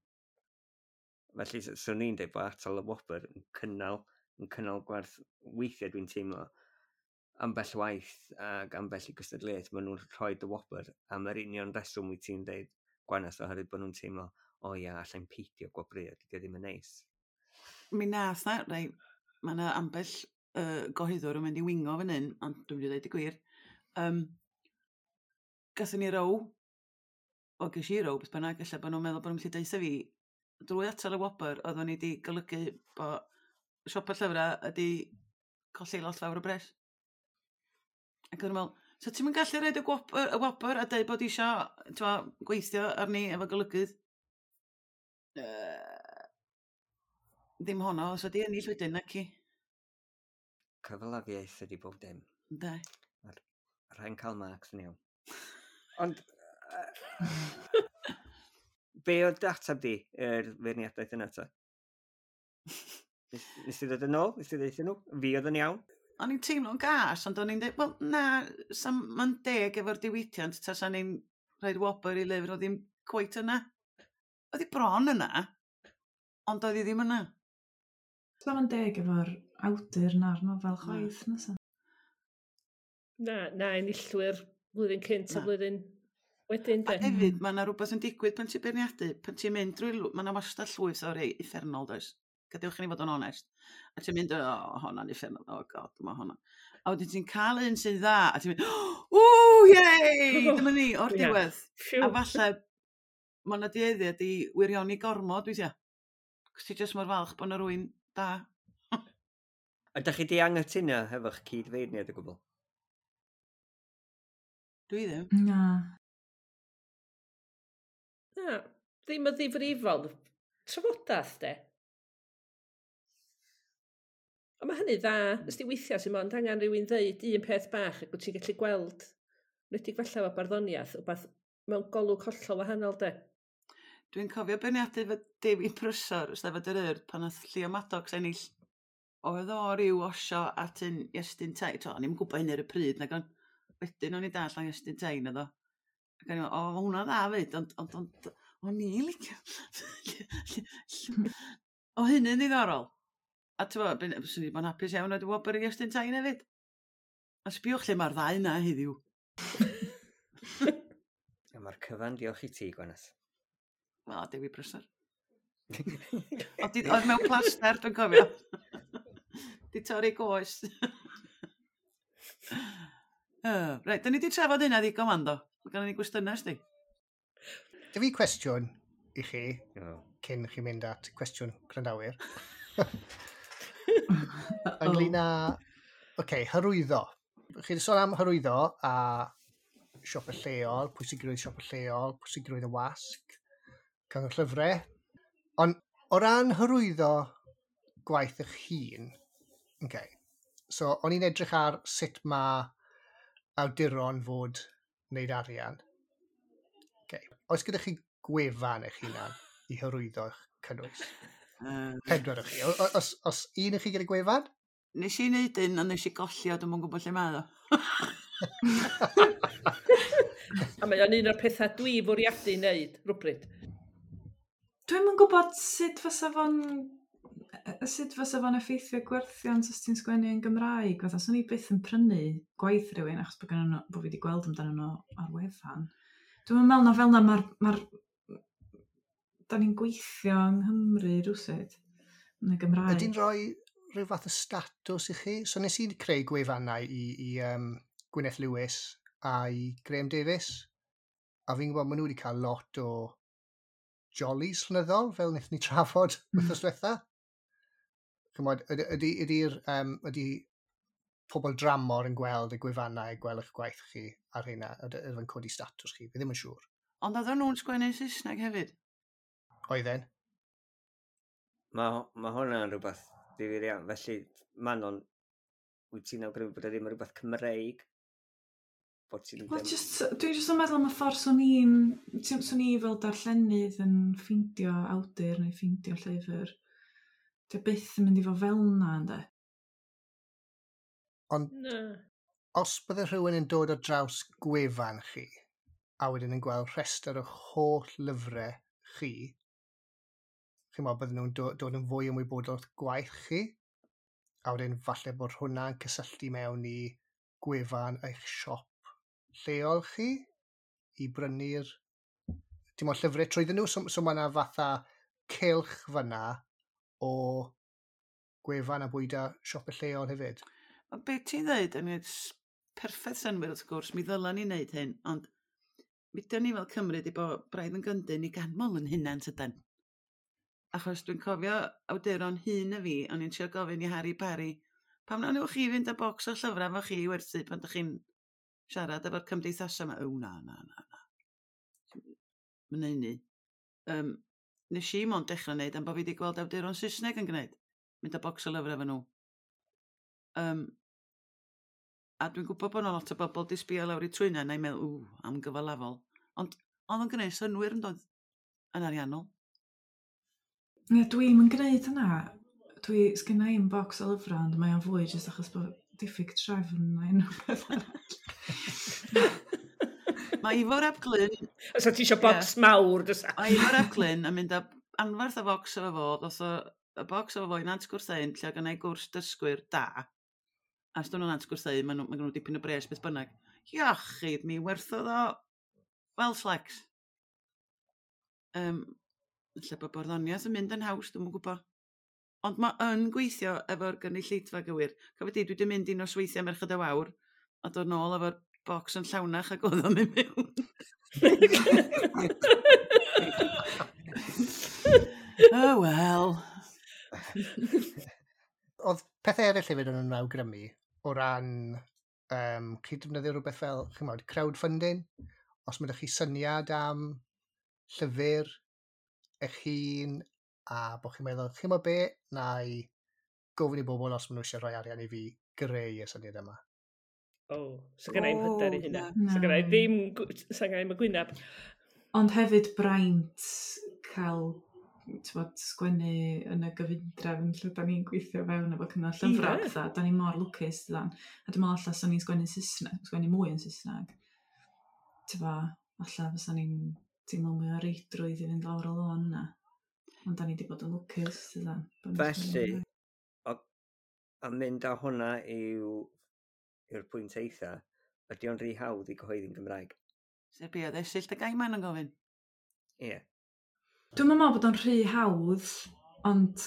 Felly, swn i'n dweud bod atal y wobr yn cynnal, yn cynnal gwerth weithiau dwi'n teimlo ambell waith ac ambell i gystadleuaeth, maen nhw'n rhoi y wobr am yr union reswm wyt ti'n dweud Gwanas, oherwydd bod nhw'n teimlo, o ia, allai'n peidio gwobrwyo, dydy o ddim yn neis. Mi nath na, rei, mae yna ambell uh, gohyddwr yn mynd i wingo fan hyn, ond dwi'n mynd i ddeud y gwir. Um, gathon ni row, o ges i row, beth bynnag, ella bod nhw'n meddwl bod nhw'n gallu deutha fi, drwy atal y wobr, oeddwn ni wedi golygu bod siopa llyfrau ydi colli lot fawr o bres. Ac o'n i'n meddwl, so ti'n mynd gallu rhoid y gwobr, y wobr a deud bod isio t'mo, gweithio arni efo golygydd? Uh, ddim honno, os ydi ennill wedyn, nac i. Cyfalafiaeth ydi bob dim. Ynde. Mae'r rhain cael marks yn iawn. Ond, be oedd dy ateb di i'r feirniadaeth yna ta? Nes, nes ti ddod yn ôl? Nes ti ddeud nhw? Fi oedd yn iawn? O'n i'n teimlo'n gas, ond o'n i'n dweud, wel na, mae'n deg efo'r diwydiant, tasan ni'n rhoid wobr i lyfr, oedd ddim cweit yna. Oedd hi bron yna, ond oedd hi ddim yna. So mae'n deg efo'r awdur na'r nofel chwaith, nasa? Na, na, enillwyr blwyddyn cynt a blwyddyn wedyn, A de. hefyd, mae yna rhywbeth yn digwydd pan ti'n beirniadu, pan ti'n mynd drwy, mae yna wastad llwyth o rei uffernol, does? Gadewch i ni fod yn onest. A ti'n mynd, o, honna'n uffernol, oh god, mae honna. A wedyn ti'n cael un sy'n dda, a ti'n mynd, ww, yay, dyma ni, o'r Ie. diwedd. Phew. A falle, mae yna dueddiad i wirioni gormod, weithiau. Cos ti jyst mor falch bod yna rywun da. A dach chi di anghytuno hefo'ch cyd-feirniad o gwbl? Dwi ddim. Na. Na, ddim yn ddifrifol. Trafodaeth, de. Ond mae hynny dda, ys di weithiau sy'n mond angen rhywun ddeud un peth bach ac wyt ti'n gallu gweld, wedig falle efo barddoniaeth, wbath mewn golwg hollol wahanol, de. Dwi'n cofio beirniadu fy Dewi Prysor, Steddfod yr Urdd, pan nath Llio Maddox ennill. Oedd o ryw osio at un Iestyn Tyne. To, o'n i'm yn gwybod hynny ar y pryd, nag ond wedyn o'n i dall am Iestyn Tyne oedd o. Ac o'n i'n meddwl, o, ma' hwnna'n dda fyd, ond, ond, ond, o'n i'n licio. O hynny'n ddiddorol. A ti'n bod, swn i bod yn hapus iawn oedd wobr i Iestyn Tyne hefyd. A sbiwch lle mae'r ddau yna heddiw. A mae'r cyfan diolch i ti, Gwanas. Wel, Dewi Prysor. Oedd di- oedd mewn plaster, dwi'n cofio. Di torri goes. Uh, reit, da ni di trafod hynna ddigon wan do. Mae gennym ni gwestiynau, sti. Dy fi cwestiwn i chi, Oh. cyn chi mynd at cwestiwn gwrandawyr. Uh-oh. Ynglyn â, oce, okay, hyrwyddo. Chi wedi sôn am hyrwyddo a siopa lleol, pwysigrwydd siopa lleol, pwysigrwydd y wasg, cyngor llyfrau. Ond o ran hyrwyddo gwaith eich hun, okay, so o'n i'n edrych ar sut mae awduron fod wneud arian. Oes gyda chi gwefan eich hunan i hyrwyddo eich cynnwys? Uh, Pedwar o chi. O- o- Os, os un o chi gyda gwefan? Nes i wneud un, ond nes i golli o, dwi'm yn gwybod lle mae o. A mae o'n un o'r pethau dwi fwriadu wneud, rhywbryd. Dwi'm yn gwybod sut fysa fo'n sut fysa fo'n effeithio gwerthiant os ti'n sgwennu yn Gymraeg. Fatha, swn i byth yn prynu gwaith rhywun achos bod, gennyn nhw, bod fi wedi gweld amdanyn nhw ar wefan. Dwi'm yn meddwl na fel na mae'r... Mae'r da ni'n gweithio yng Nghymru rywsut yn y Gymraeg. Ydy'n rhoi rhyw fath o statws i chi? So nes i creu gwefannau i, i um, Gwyneth Lewis a i Graham Davies. A fi'n gwybod maen nhw wedi cael lot o jollies llenyddol, fel wnaethon ni trafod wythnos diwetha. Chymod, ydy, ydy, ydy'r, um, ydy pobl dramor yn gweld y gwefannau, gweld eich gwaith chi ar hynna, ydy ydy fe'n codi statws chi, fi ddim yn siŵr. Ond oedden nhw'n sgwennu Saesneg hefyd. Oedden? Mae ma hwnna'n rhywbeth ddifyr iawn. Felly, Manon, wyt ti'n awgrymu bod e ddim yn rhywbeth Cymreig? Bod ti'n Wel, ddim... just, dwi'n jyst yn meddwl am y ffordd swn i'n, ti'n- swn i fel darllenydd yn ffeindio awdur neu ffeindio llyfr. Dwi byth yn mynd i fod fel na, ynddo. Ond Na. os bydde rhywun yn dod ar draws gwefan chi, a wedyn yn gweld rhestr o'ch holl lyfrau chi, chi'n meddwl bydden nhw'n do- dod yn fwy ymwybodol o'ch gwaith chi, a wedyn falle bod hwnna'n cysylltu mewn i gwefan eich siop lleol chi i brynu'r dim ond llyfrau trwyddyn nhw. So, so mae yna fatha cylch fyna o gwefan a bwyda siopau lleol hefyd. Ond be ti'n dweud yn gwneud perffaith synnwyr wrth gwrs, mi ddylan ni wneud hyn, ond mi dyn ni fel Cymru di bod braidd yn gyndyn i ganmol yn hunan tydan. Achos dwi'n cofio awduron hyn y fi, o'n i'n trio gofyn i Harry Parry, pam na newch chi fynd â bocs o llyfrau efo chi i werthu pan ydych chi'n siarad efo'r cymdeithasau yma? O, na, na, na, na. Mae'n neud ni. Um, nes i mond dechrau wneud am bod fi wedi gweld awduron Saesneg yn gwneud. Mynd â bocs o lyfrau efo nhw. Um, a dwi'n gwybod bod yna lot o bobl di sbio lawr i trwyna na'i meddwl, ww, am gyfalafol. Ond oedd o'n gwneud synnwyr yn dod yn ariannol. Ie, dwi'm yn gwneud hynna. Dwi, sgynna i'm bocs o lyfrau, ond mae o'n fwy jyst achos bod diffyg trefn neu unrhyw beth arall. Mae Ifor ap Glyn, Os ti eisiau bocs mawr, dysa. mae Ifor ap Glyn yn mynd â anferth o bocs efo fo, ddoth o y bocs efo fo i Nant Gwrtheyrn, lle oedd gennau gwrs dysgwyr da. A os dyn nhw'n Nant Gwrtheyrn, maen nhw, ma' nhw dipyn o bres beth bynnag. Iachyd, mi werthodd o fel slecs. Um, lle bod barddoniaeth yn mynd yn haws, dwi'm yn gwybod. Ond mae yn gweithio efo'r gynulleidfa gywir. Cofio di, dwi wedi mynd i nosweithiau Merched y Wawr a dod nôl efo'r bocs yn llawnach ac oedd o'n mynd mewn. Oh well. Oedd pethau eraill hefyd yn awgrymu o ran um, chi defnyddio rhywbeth fel, chi'n crowdfunding, os mae chi syniad am llyfr eich hun a bod chi'n meddwl, chi'n meddwl be, na i gofyn i bobl os maen nhw eisiau rhoi arian i fi greu y syniad yma. O, so gynna i'm hyder i hynna. Na. So gynna i ddim, so gynna i'm y gwynab. Ond hefyd braint cael t'bod, sgwennu yn y gyfundrefn lle da ni'n gweithio fewn efo cyngor llyfrau Ie. yeah. pethau. Da ni mor lwcus, dydan. A dwi'n meddwl alla swn ni'n sgwennu Saesneg, sgwennu mwy yn Saesneg. T'bo, alla fysa ni'n teimlo mwy o reidrwydd i fynd lawr y lôn yna. Ond da ni wedi bod yn lwcus, dydan. Bod ni'n sgwennu Felly, Gymraeg. o, a mynd â hwnna i'w, i'r pwynt eitha, ydy o'n rhy hawdd i gyhoeddi'n Gymraeg? Sef be oedd Esyllt y Gaiman yn gofyn. Ie. Yeah. Dwi'n meddwl bod o'n rhy hawdd, ond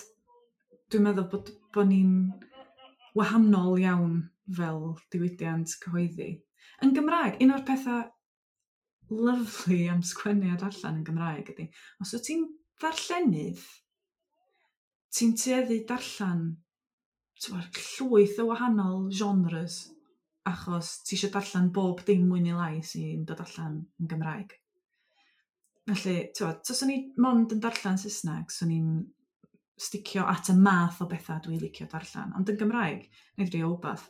dwi'n meddwl bod, bod ni'n wahanol iawn fel diwydiant cyhoeddi. Yn Gymraeg, un o'r pethau lyfli am sgwennu a darllen yn Gymraeg ydy, os wyt ti'n ddarllenydd, ti'n tueddu darllen t'mod, llwyth o wahanol genres, achos ti eisiau darllen bob dim mwy neu lai sy'n dod allan yn Gymraeg. Felly, t'mod, taswn i mond yn darllen Saesneg, swn i'n sticio at y math o bethau dwi'n licio darllen. Ond yn Gymraeg, na i drio wbath,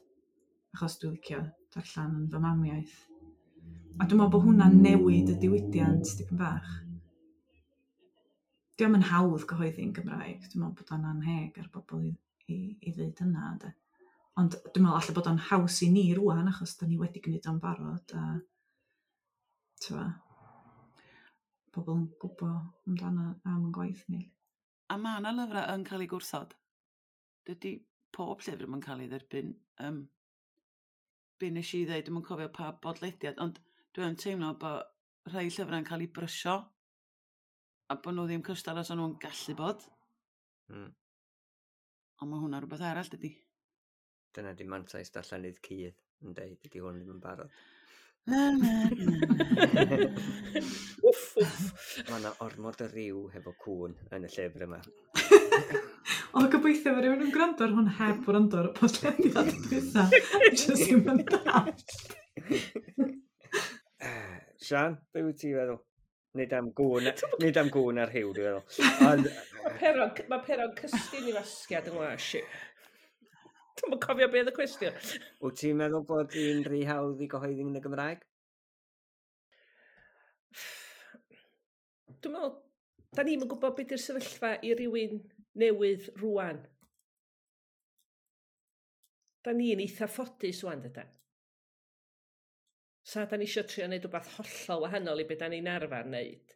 achos dwi'n licio darllen yn fy mamiaith. A dwi'n meddwl bod hwnna'n newid y diwydiant dipyn bach. Dio'm yn hawdd gyhoeddi'n Gymraeg. Dwi'n meddwl bod o'n anheg ar bobl i, i, i ddeud hynna. De. Ond dwi'n meddwl alla bod o'n haws i ni rwan, achos da ni wedi gwneud o'n barod. A, t'wa, pobl yn gwybod amdano am yn gwaith ni. A mae yna lyfrau yn cael ei gwrthod. Dydy pob llyfr ddim yn cael ei dderbyn. Um, be nes i ddeud, dwi'm yn cofio pa bodlediad, ond dwi'n teimlo bod rhai llyfrau'n cael ei brysio a bod nhw ddim cystal os o'n nhw'n gallu bod. Mm. Ond mae hwnna rhywbeth arall, dydy. Dyna di mantais darllenydd cudd yn deud, dydy hwn ddim yn barod. Na, na, na, na. Wff, wff. Mae yna ormod o ryw hefo cŵn yn y llyfr yma. O, gobeithio mae rhywun yn gwrando ar hwn heb wrando ar y podlediad dwytha. Jyst ddim yn dallt. Sian, be wyt ti'n feddwl? Nid am gŵn, nid am gŵn ar rhyw, dwi'n feddwl. Ond, Mae peron, mae peron cysgu i fasgiad yng ngwas i. Dwi'm yn cofio beth y cwestiwn. Wyt ti'n meddwl bod hi'n rhy hawdd i gyhoeddi yn y Gymraeg? Dwi'n meddwl, da ni'm yn gwybod beth yw'r sefyllfa i rywun newydd rwan. Da ni'n eitha ffodus rwan, dydan. Sa da ni isio trio neud rhywbeth hollol wahanol i beth da ni'n arfer wneud.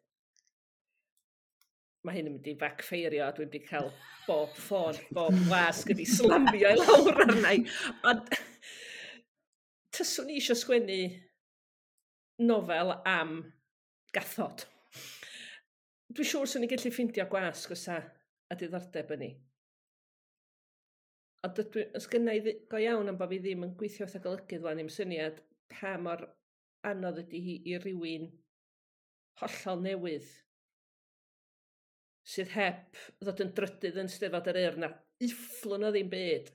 Mae hyn yn mynd i backfeirio a dwi'n mynd i cael bob ffôn, bob wasg ydi slamio i lawr arna i. Ond tyswn i isio sgwennu nofel am gathod. Dwi'n siŵr swn i'n gallu ffeindio gwasg os a, a diddordeb yn ni. Ond dydw i, os gynna i ddi-, go iawn am bod fi ddim yn gweithio fatha golygydd wan, ddim syniad pa mor anodd ydy hi i rywun hollol newydd sydd heb ddod yn drydydd yn Steddfod yr Urdd na ufflwn o ddim byd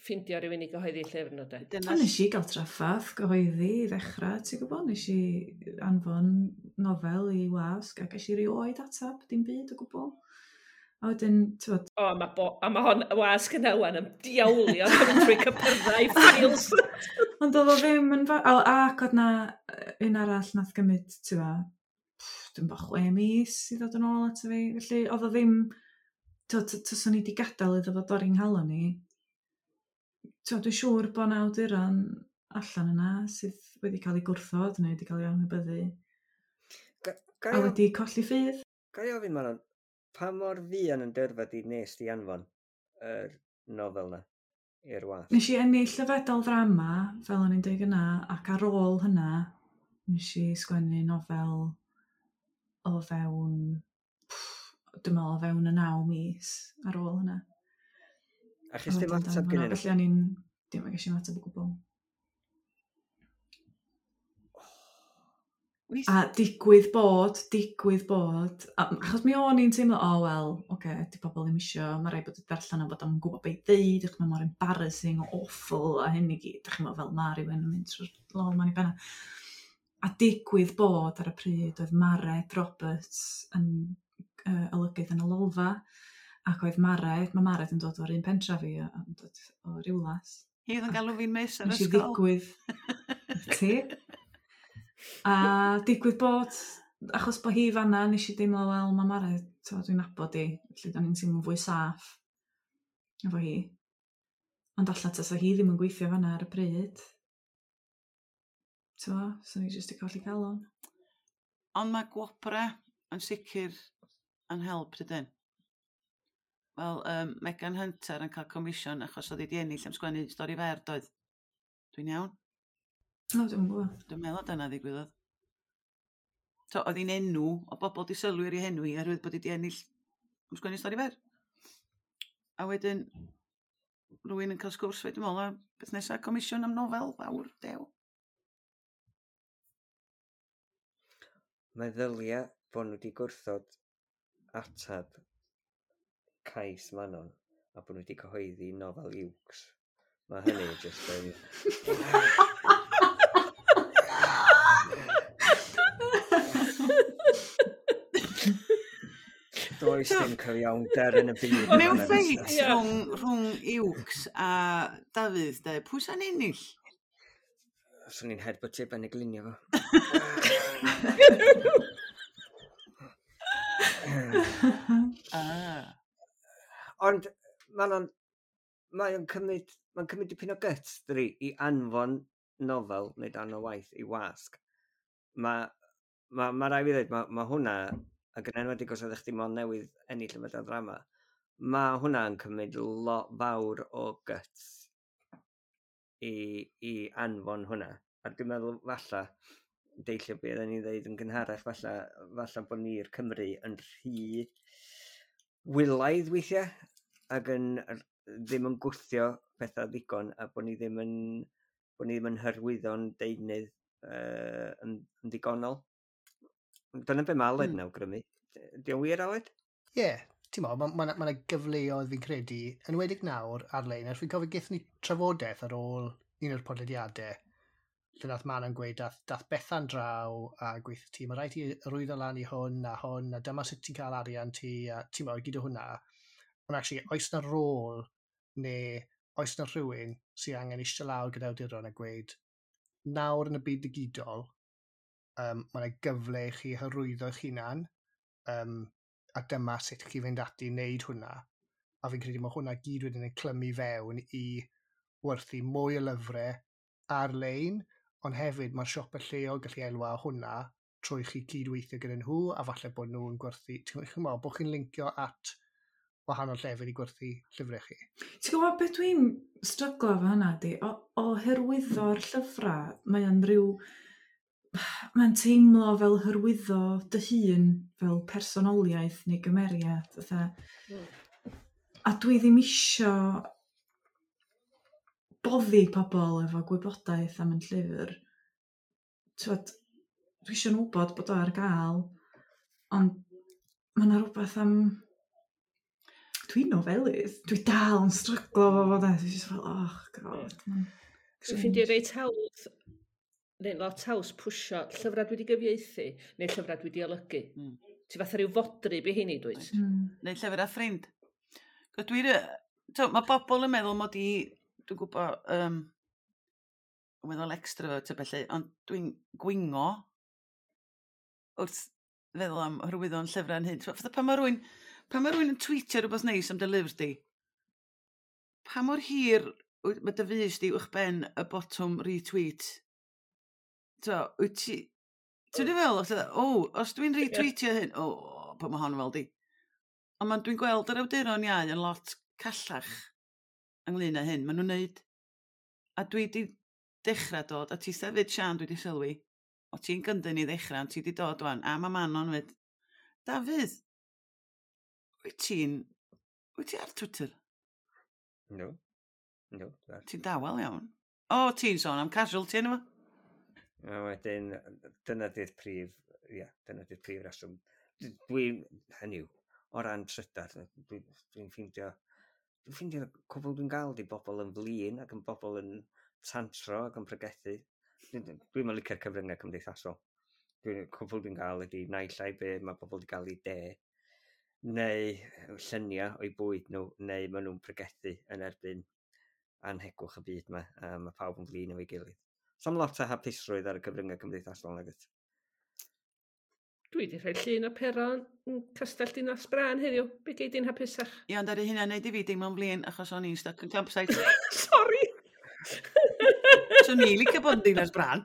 ffindio rhywun i gyhoeddi llyfr nhw, de. Dyna O, nes i gael traffath gyhoeddi i ddechrau, ti'n gwybod? Nes i anfon nofel i wasg a ges i rioed atab, dim byd o gwbl. A wedyn, ti'n gwbod... O, ma bo, a ma hon, y wasg yna wan yn diawlio yn trwy cypyrddau files. Ond oedd o ddim yn... Fa o, ac oedd na un arall nath gymryd, ti'n gwbod, dwi'n bo chwe mis i ddod yn ôl ato fi. Felly, oedd o ddim... Ti'n tyswn i wedi gadael iddo fo dorri'n nghalon i. Ti'n dwi'n siŵr bod 'na awduron allan yna sydd wedi cael eu gwrthod neu wedi cael eu anwybyddu. Ga, A wedi colli ffydd. Ga i ofyn, Manon, pa mor fuan yn dyrfa di nes di anfon yr nofel na i'r wasg? Nes i ennill y fedal ddrama, fel o'n i'n deud yna, ac ar ôl hynna, nes i sgwennu nofel o fewn, pff, dwi'n meddwl o fewn y naw mis ar ôl hynna. A chys ddim ateb gynnyn nhw? Felly o'n i'n, dim yn gallu ateb o gwbl. A digwydd bod, digwydd bod, a, achos mi o'n i'n teimlo, o, oh, wel, oce, okay, di pobl ddim isio, mae rhaid bod y darllen o bod o'n gwybod beth i ddeud, achos mae mor embarrassing, awful, a hyn i gyd, dach chi'n meddwl fel ma rhywun yn mynd trwy'r lol ma'n i benna. A digwydd bod ar y pryd oedd Mared Roberts yn uh, olygydd yn y Lolfa, ac oedd Mared, mae Mared yn dod o'r un pentra fi, yn dod o Rhiwlas. Hi oedd yn galw fi'n miss ar Nes i ysgol. ddigwydd. Ti? A digwydd bod, achos bod hi fanna, nes i deimlo, wel, mae Mared, dwi'n nabod i, felly do'n i'n teimlo'n fwy saff efo hi. Ond allan tasa hi ddim yn gweithio fanna ar y pryd. T'mo, so ni jyst 'di colli calon. Ond mae gwobra yn sicr yn help, dydyn? Wel, um, Megan Hunter yn cael comisiwn achos oedd hi 'di ennill am sgwennu stori fer, doedd? Dwi'n iawn? O, dwi'm yn gwybod. Dwi'n meddwl dyna ddigwyddodd. So, oedd hi'n enw, o bobl 'di sylwi ar ei henw hi oherwydd bod hi 'di ennill am sgwennu stori fer. A wedyn, rhywun yn cael sgwrs fe, dwi'n meddwl, a beth nesaf, comisiwn am nofel fawr, dew. Meddylia bod nhw wedi gwrthod atab cais Manon a bod nhw wedi cyhoeddi nofel Iwcs. Mae hynny jyst yn... Does dim cyfiawnder yn y byd. Mewn ffeit Ie. rhwng, rhwng Iwcs a Dafydd, de, pwy sa'n ennill? Swn i'n headbuttio ben y glinio fo. Ah. Ond mae'n mae o'n cymryd, mae'n cymryd dipyn o guts, dydi, i anfon nofel neu darn o waith i wasg. Mae ma, ma rai fi ddweud, mae ma hwnna, ac yn enwedig os oeddech chdi mond newydd ennill y fedal ddrama, mae hwnna'n cymryd lot fawr o guts i, i anfon hwnna. A dwi'n meddwl falla, deillio be oedden ni'n dweud yn gynharach, falla, falla bod ni'r Cymru yn rhy wylaidd weithiau, ac yn ddim yn gwthio pethau ddigon, a bod ni ddim yn, bod ni ddim yn hyrwyddo'n deunydd uh, yn, yn ddigonol. Dyna be mae Aled mm. yn awgrymu. Di o'n wir, Aled? Ie, yeah, ti'n mo, mae ma, ma, ma gyfleoedd fi'n credu, yn enwedig nawr ar-lein, er fi'n cofio gaethon ni trafodaeth ar ôl un o'r podlediadau, lle nath Manon gweud, dath, dath Bethan draw a gweithio ti, mae rhaid ti arwyddo lan i hwn a hwn, a dyma sut ti'n cael arian ti, a ti'n mo, gyd o hwnna. Ond actually, oes na rôl neu oes na rhywun sydd angen eistedd lawr gyda awduron a gweud, nawr yn y byd digidol, um, mae yna gyfle i chi hyrwyddo eich hunan, um, a dyma sut chi fynd ati i wneud hwnna. A fi'n credu mae hwnna gyd wedyn yn clymu fewn i werthu mwy o lyfrau ar-lein, ond hefyd mae'r siopau lleol gallu elwa o hwnna trwy chi cydweithio gyda nhw, a falle bod nhw'n gwerthu, ti'n gwybod, bod chi'n lincio at wahanol llefydd i gwerthu llyfrau chi. Ti'n gwybod beth dwi'n stryglo efo hynna di? O, o hyrwyddo'r llyfrau, mae o'n rhyw... Mae'n teimlo fel hyrwyddo dy hun fel personoliaeth neu gymeriad. Fatha. Mm. A dwi ddim isio boddi pobl efo gwybodaeth am yn llyfr. T'wod, dwi isio nhw wybod bod o ar gael, ond mae yna rhywbeth am... Dwi'n nofelydd. Dwi dal yn stryglo efo fo de. Dwi jyst fel, oh god. Dwi'n ffeindio reit hawdd, neu lot haws pwsio llyfrau dwi wedi gyfieithu, neu llyfrau dwi wedi olygu. Mm. Ti fatha rhyw fodryb i heini, dwyt? Mm. Neu llyfrau ffrind. Dwi'n... Mae bobl yn meddwl mod i, dwi'n gwybod, um, yn meddwl extrovert a felly, ond dwi'n gwingo wrth feddwl am hyrwyddo'n llyfrau'n hyn. Fatha pan mae rhywun, pan mae rhywun yn tweetio rhywbeth neis am dy lyfr di, pa mor hir mae dy fys di uwch ben y botwm retweet? So, wyt ti... Ti'n yeah. fel, o, os dwi'n retweetio hyn, o, pa mae hon fel di. Ond man, dwi'n gweld yr awduron iau yn lot callach ynglyn â hyn. Maen nhw'n neud. A dwi di dechrau dod, a ti sefyd Sian, dwi di sylwi, o ti'n gyndyn i ddechrau, ond ti di dod wan, a mae Manon fyd. Dafydd, wyt ti'n... Wyt ti ar Twitter? No. No. Ti'n dawel iawn. O, ti'n sôn am casualty yna fo? A wedyn, dyna di'r prif, ia, dyna di'r prif reswm. Dwi'n, hynny yw, o ran trydar, dwi'n dwi ffeindio, dwi'n ffeindio cwbl dwi'n gael di bobl yn flin ac yn bobl yn tantro ac yn pregethu. Dwi'n dwi yn licio'r cyfryngau cymdeithasol. Dwi'n, cwbl dwi'n gael ydi naill ai be mae bobl wedi gael i de, neu lluniau o'i bwyd nhw, neu maen nhw'n pregethu yn erbyn anhegwch y byd yma, a mae pawb yn flin efo'i gilydd. So'm lot o hapusrwydd ar y cyfryngau cymdeithasol nag oes? Dwi wedi rhoi llun o Pero yn Castell Dinas Brân heddiw. Be gei di'n hapusach? Ie, ond ar ei hynna neud i fi deimlo'n flin achos o'n i'n stuck yn campsite. Sorry! Swn i'n licio bod yn Dinas Brân.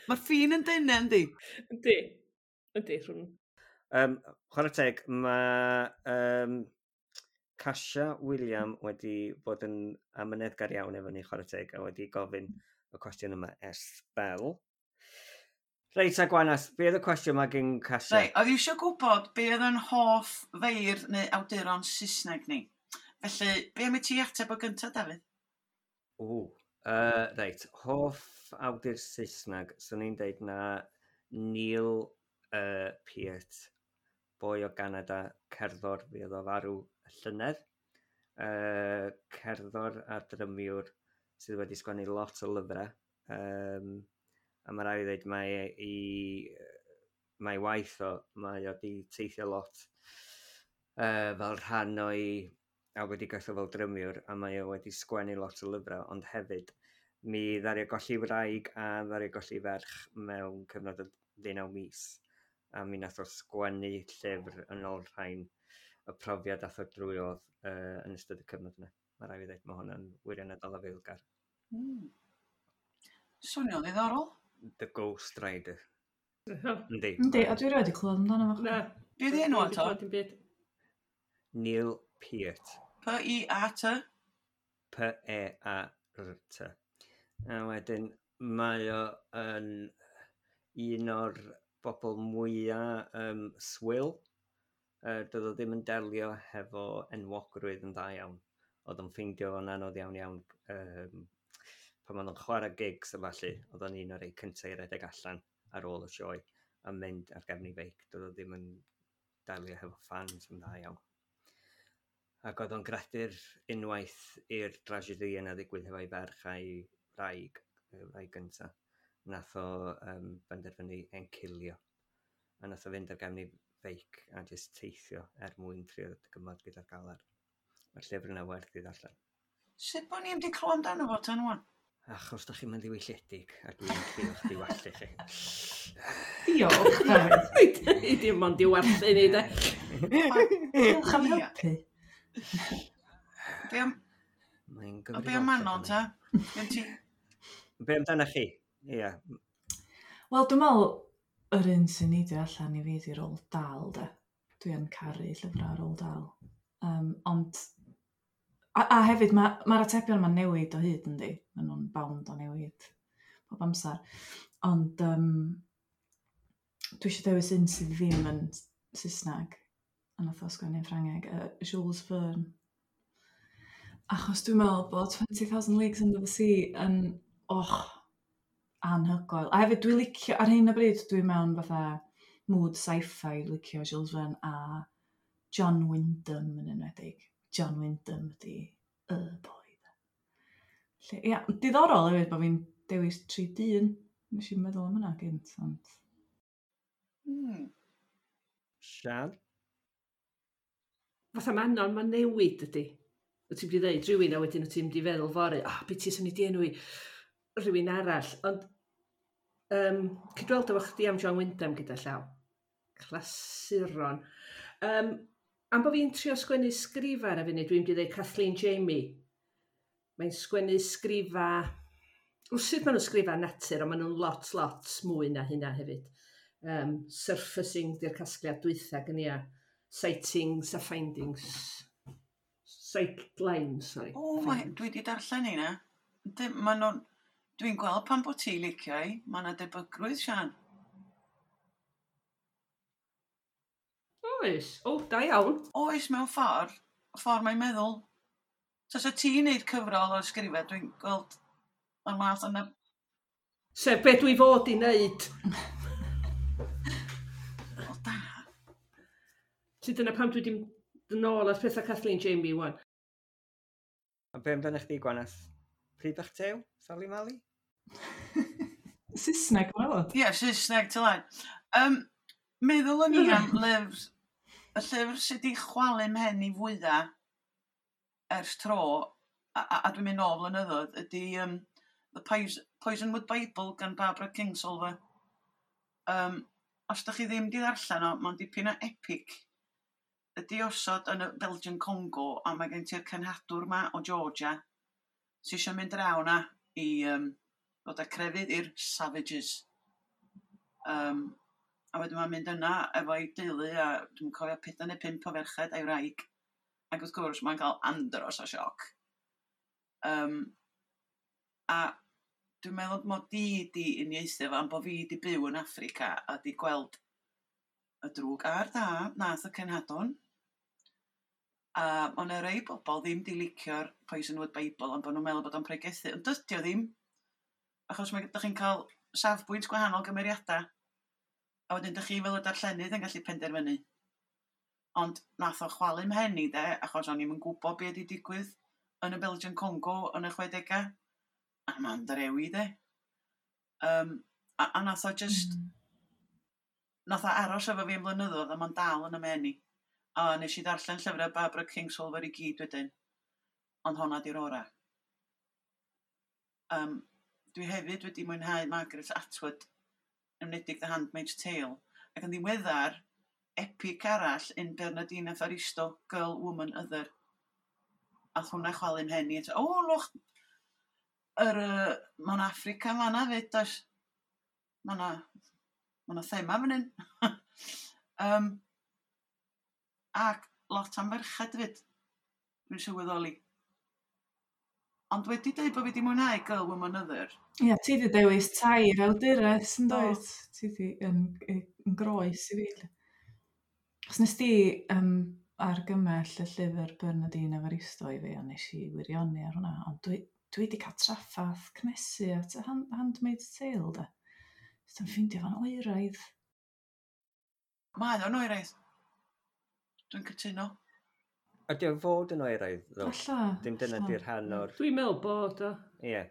Mae'r ffin yn dynnu, yndi? Yndi. Yndi, rhwng. Um, chwarae teg, mae um, Casia William wedi bod yn amyneddgar iawn efo ni, chwarae teg, a wedi gofyn y cwestiwn yma ers sbel. Reit, a Gwanas, be oedd y cwestiwn yma gen Casia? Reit, oedd eisiau gwybod be oedd yn hoff feirdd neu awduron Saesneg ni. Felly, be am i ti ateb o gyntaf, Dafydd? O, uh, reit, hoff awdur Saesneg, swn i'n deud na Neil uh, Peart, boi o Ganada, cerddor, fi oedd o farw y llynedd. Uh, cerddor a drymiwr sydd wedi sgwennu lot o lyfrau. Um, a mae rhaid i ddweud mae i, mae waith o, mae o di teithio lot uh, fel rhan o'i A wedi gweithio fel drymiwr, a mae o wedi sgwennu lot o lyfrau, ond hefyd mi ddaru o golli wraig a ddaru o golli ferch mewn cyfnod o ddeunaw mis. A mi nath o sgwennu llyfr yn olrhain y profiad ath o drwyodd uh, yn ystod y cyfnod yna. Mae rhaid fi ddweud, mae hwnna'n wirioneddol afaelgar. Mm. Swnio'n ddiddorol. The Ghost Rider. Yndi. Yndi, a dwi erioed wedi clywed amdano fo. Na. Be 'di enw eto? Dim byd. Neil Peart. P I A T? P E A R T. A wedyn mae o yn un o'r bobl mwyaf um, swil. Uh, doedd o ddim yn delio hefo enwogrwydd yn dda iawn. Oedd o'n ffeindio fo'n anodd iawn iawn um, pan oedd o'n chwarae gigs a falle, oedd o'n un o'r rei cyntaf i redeg allan ar ôl y sioe a mynd ar gefn ei feic. Doedd o ddim yn delio hefo fans yn dda iawn. Ac oedd o'n gredu'r unwaith i'r dragedy yna ddigwydd hefo'i ferch a'i wraig, y wraig gynta, nath o um, benderfynu encilio. A nath o fynd ar gefn ei feic a jyst teithio er mwyn trio dygymod gyda'r galar. Mae'r llyfr yna werth i ddarllen. Sut bod ni'n di clywed amdano fo tan wan? Achos da chi'n mynd ddiwylliedig a dwi'n trio diwallu chi. Diolch, Dafydd. I dim ond diwarthu ni, de. Diolch am Ie. helpu. Be am, Mae'n o be am Manon ta? Gen ti? Be amdano chi? Ie. Wel, dwi'n meddwl yr un sy'n neidio allan i fi 'di Roald Dahl, de. Dwi yn caru llyfrau Roald Dahl. Um, ond, a, a hefyd, mae'r ma mae'r atebion yma'n newid o hyd, yndi? Maen nhw'n bound o newid bob amser. Ond um, dwi eisiau dewis un sydd ddim yn Saesneg, a nath o sgwennu'n Ffrangeg, uh, Jules Verne. Achos dwi'n meddwl bod twenty thousand Leagues Under the Sea yn, och, anhygoel. A hefyd dwi'n licio, ar hyn o bryd dwi mewn fatha mood sci-fi, licio Jules Verne a John Wyndham yn enwedig. John Wyndham ydi y boi, de. Lle, ia, diddorol hefyd bod fi'n dewis tri dyn. Nes i'n meddwl am hynna gynt, ond Hmm. Sian? Fatha Manon, mae'n newid ydy. Wyt ti'n mynd i ddeud rhywun a wedyn wyt ti'n mynd i feddwl fory, ah, oh, beth ti'n i di enwi rhywun arall. Ond, um, cydweld efo chdi am John Wyndham gyda llaw. Clasuron. Um, am bod fi'n trio sgwennu sgrifa ar y funud, dwi'n mynd i ddeud Kathleen Jamie. Mae'n sgwennu sgrifa. Wsyd maen nhw'n sgrifa natur, ond maen nhw'n lot, lot mwy na hynna hefyd. Um, surfacing di'r casgliad dwytha gen i a sightings a findings. Sightlines, sorry. O, mae, dwi wedi darllen un na. Ma nhw'n. Dwi'n gweld pan bod ti licio i. Mae yna debygrwydd, Sian. Oes. O, da iawn. Oes, mewn ffordd. Ffordd mae'n meddwl. Tasa ti'n neud cyfrol o ysgrifau, dwi'n gweld o'r math yna. Sef be dwi fod i wneud. O, da. Ti dyna pam dwi wedi mynd yn ôl at pethau Kathleen Jamie wan. A be amdano chdi, Gwanas? Pryd bach tew? Sali Mali? Saesneg, mae'n fod. Ie, yeah, Saesneg, tyla. Um, meddwl o'n i am lyfr, y llyfr sydd wedi chwalu mhen i fwyaf ers tro, a, a, a dwi'n mynd nôl flynyddoedd, ydy um, The Poison, Poisonwood Bible gan Barbara Kingsolver. Um, os da chi ddim di ddarllen o, mae'n dipyn o epic. Ydy osod yn y Belgian Congo, a mae gen ti'r cenhadwr ma o Georgia, sy'n eisiau mynd draw na i um, ddod â crefydd i'r savages. Um, a wedyn mae'n mynd yna efo'i deulu a dwi'n cofio pedair neu pump o ferched a'i wraig. Ac wrth gwrs mae'n cael andros o sioc. Um, a dwi'n meddwl mod i di uniaethu efo am bod fi di byw yn Affrica a di gweld y drwg a'r da nath y cenhadon. A ma' 'na rei bobl ddim di licio'r Poisonwood Bible am bod nhw'n meddwl bod o'n pregethu, ond dydy o ddim. Achos mae dych chi'n cael safbwynt gwahanol gymeriadau. A wedyn dych chi fel y darllenydd yn gallu penderfynu. Ond nath o chwalu mhen i de, achos o'n i'm yn gwybod be wedi digwydd yn y Belgian Congo yn y chwedegau. A ma'n drewi de. Um, a, a nath o just, mm. nath o aros efo fi am blynyddoedd a ma'n dal yn y mhen i. A nes i ddarllen llyfrau Barbara Kingsolver i gyd wedyn, ond honna di'r ora. Um, dwi hefyd wedi mwynhau Margaret Atwood, enwedig The Handmaid's Tale, ac yn ddiweddar, epic arall yn Bernardine Evaristo, Girl, Woman, Other. A hwnna chwalu'n hen i eto. O, lwch, yr, uh, mae'n Africa fanna fyd, does? Mae 'na ma' 'na thema fan hyn. um, ac lot am ferched hefyd, dwi'n sylweddoli. Ond wedi dweud bod fi wedi mwynhau Girl, Woman, Other. Ie, ti 'di dewis tair awdures yn dwyt? Ti 'di yn, yn groes i fi. Os nes di um, argymell y llyfr Bernardine Evaristo i fi, a nes i wirioni ar hwnna, ond dwi, dwi wedi cael traffath cnesu at y hand, Handmaid's Tale, da. Jyst yn ffeindio fo'n oeraidd. Mae o'n oeraidd. Dwi'n cytuno. Ydy o fod yn oeraidd, ddo? Alla. Dim dyna alla. di'r rhan o'r. Dwi'n meddwl bod o. Ie. Yeah.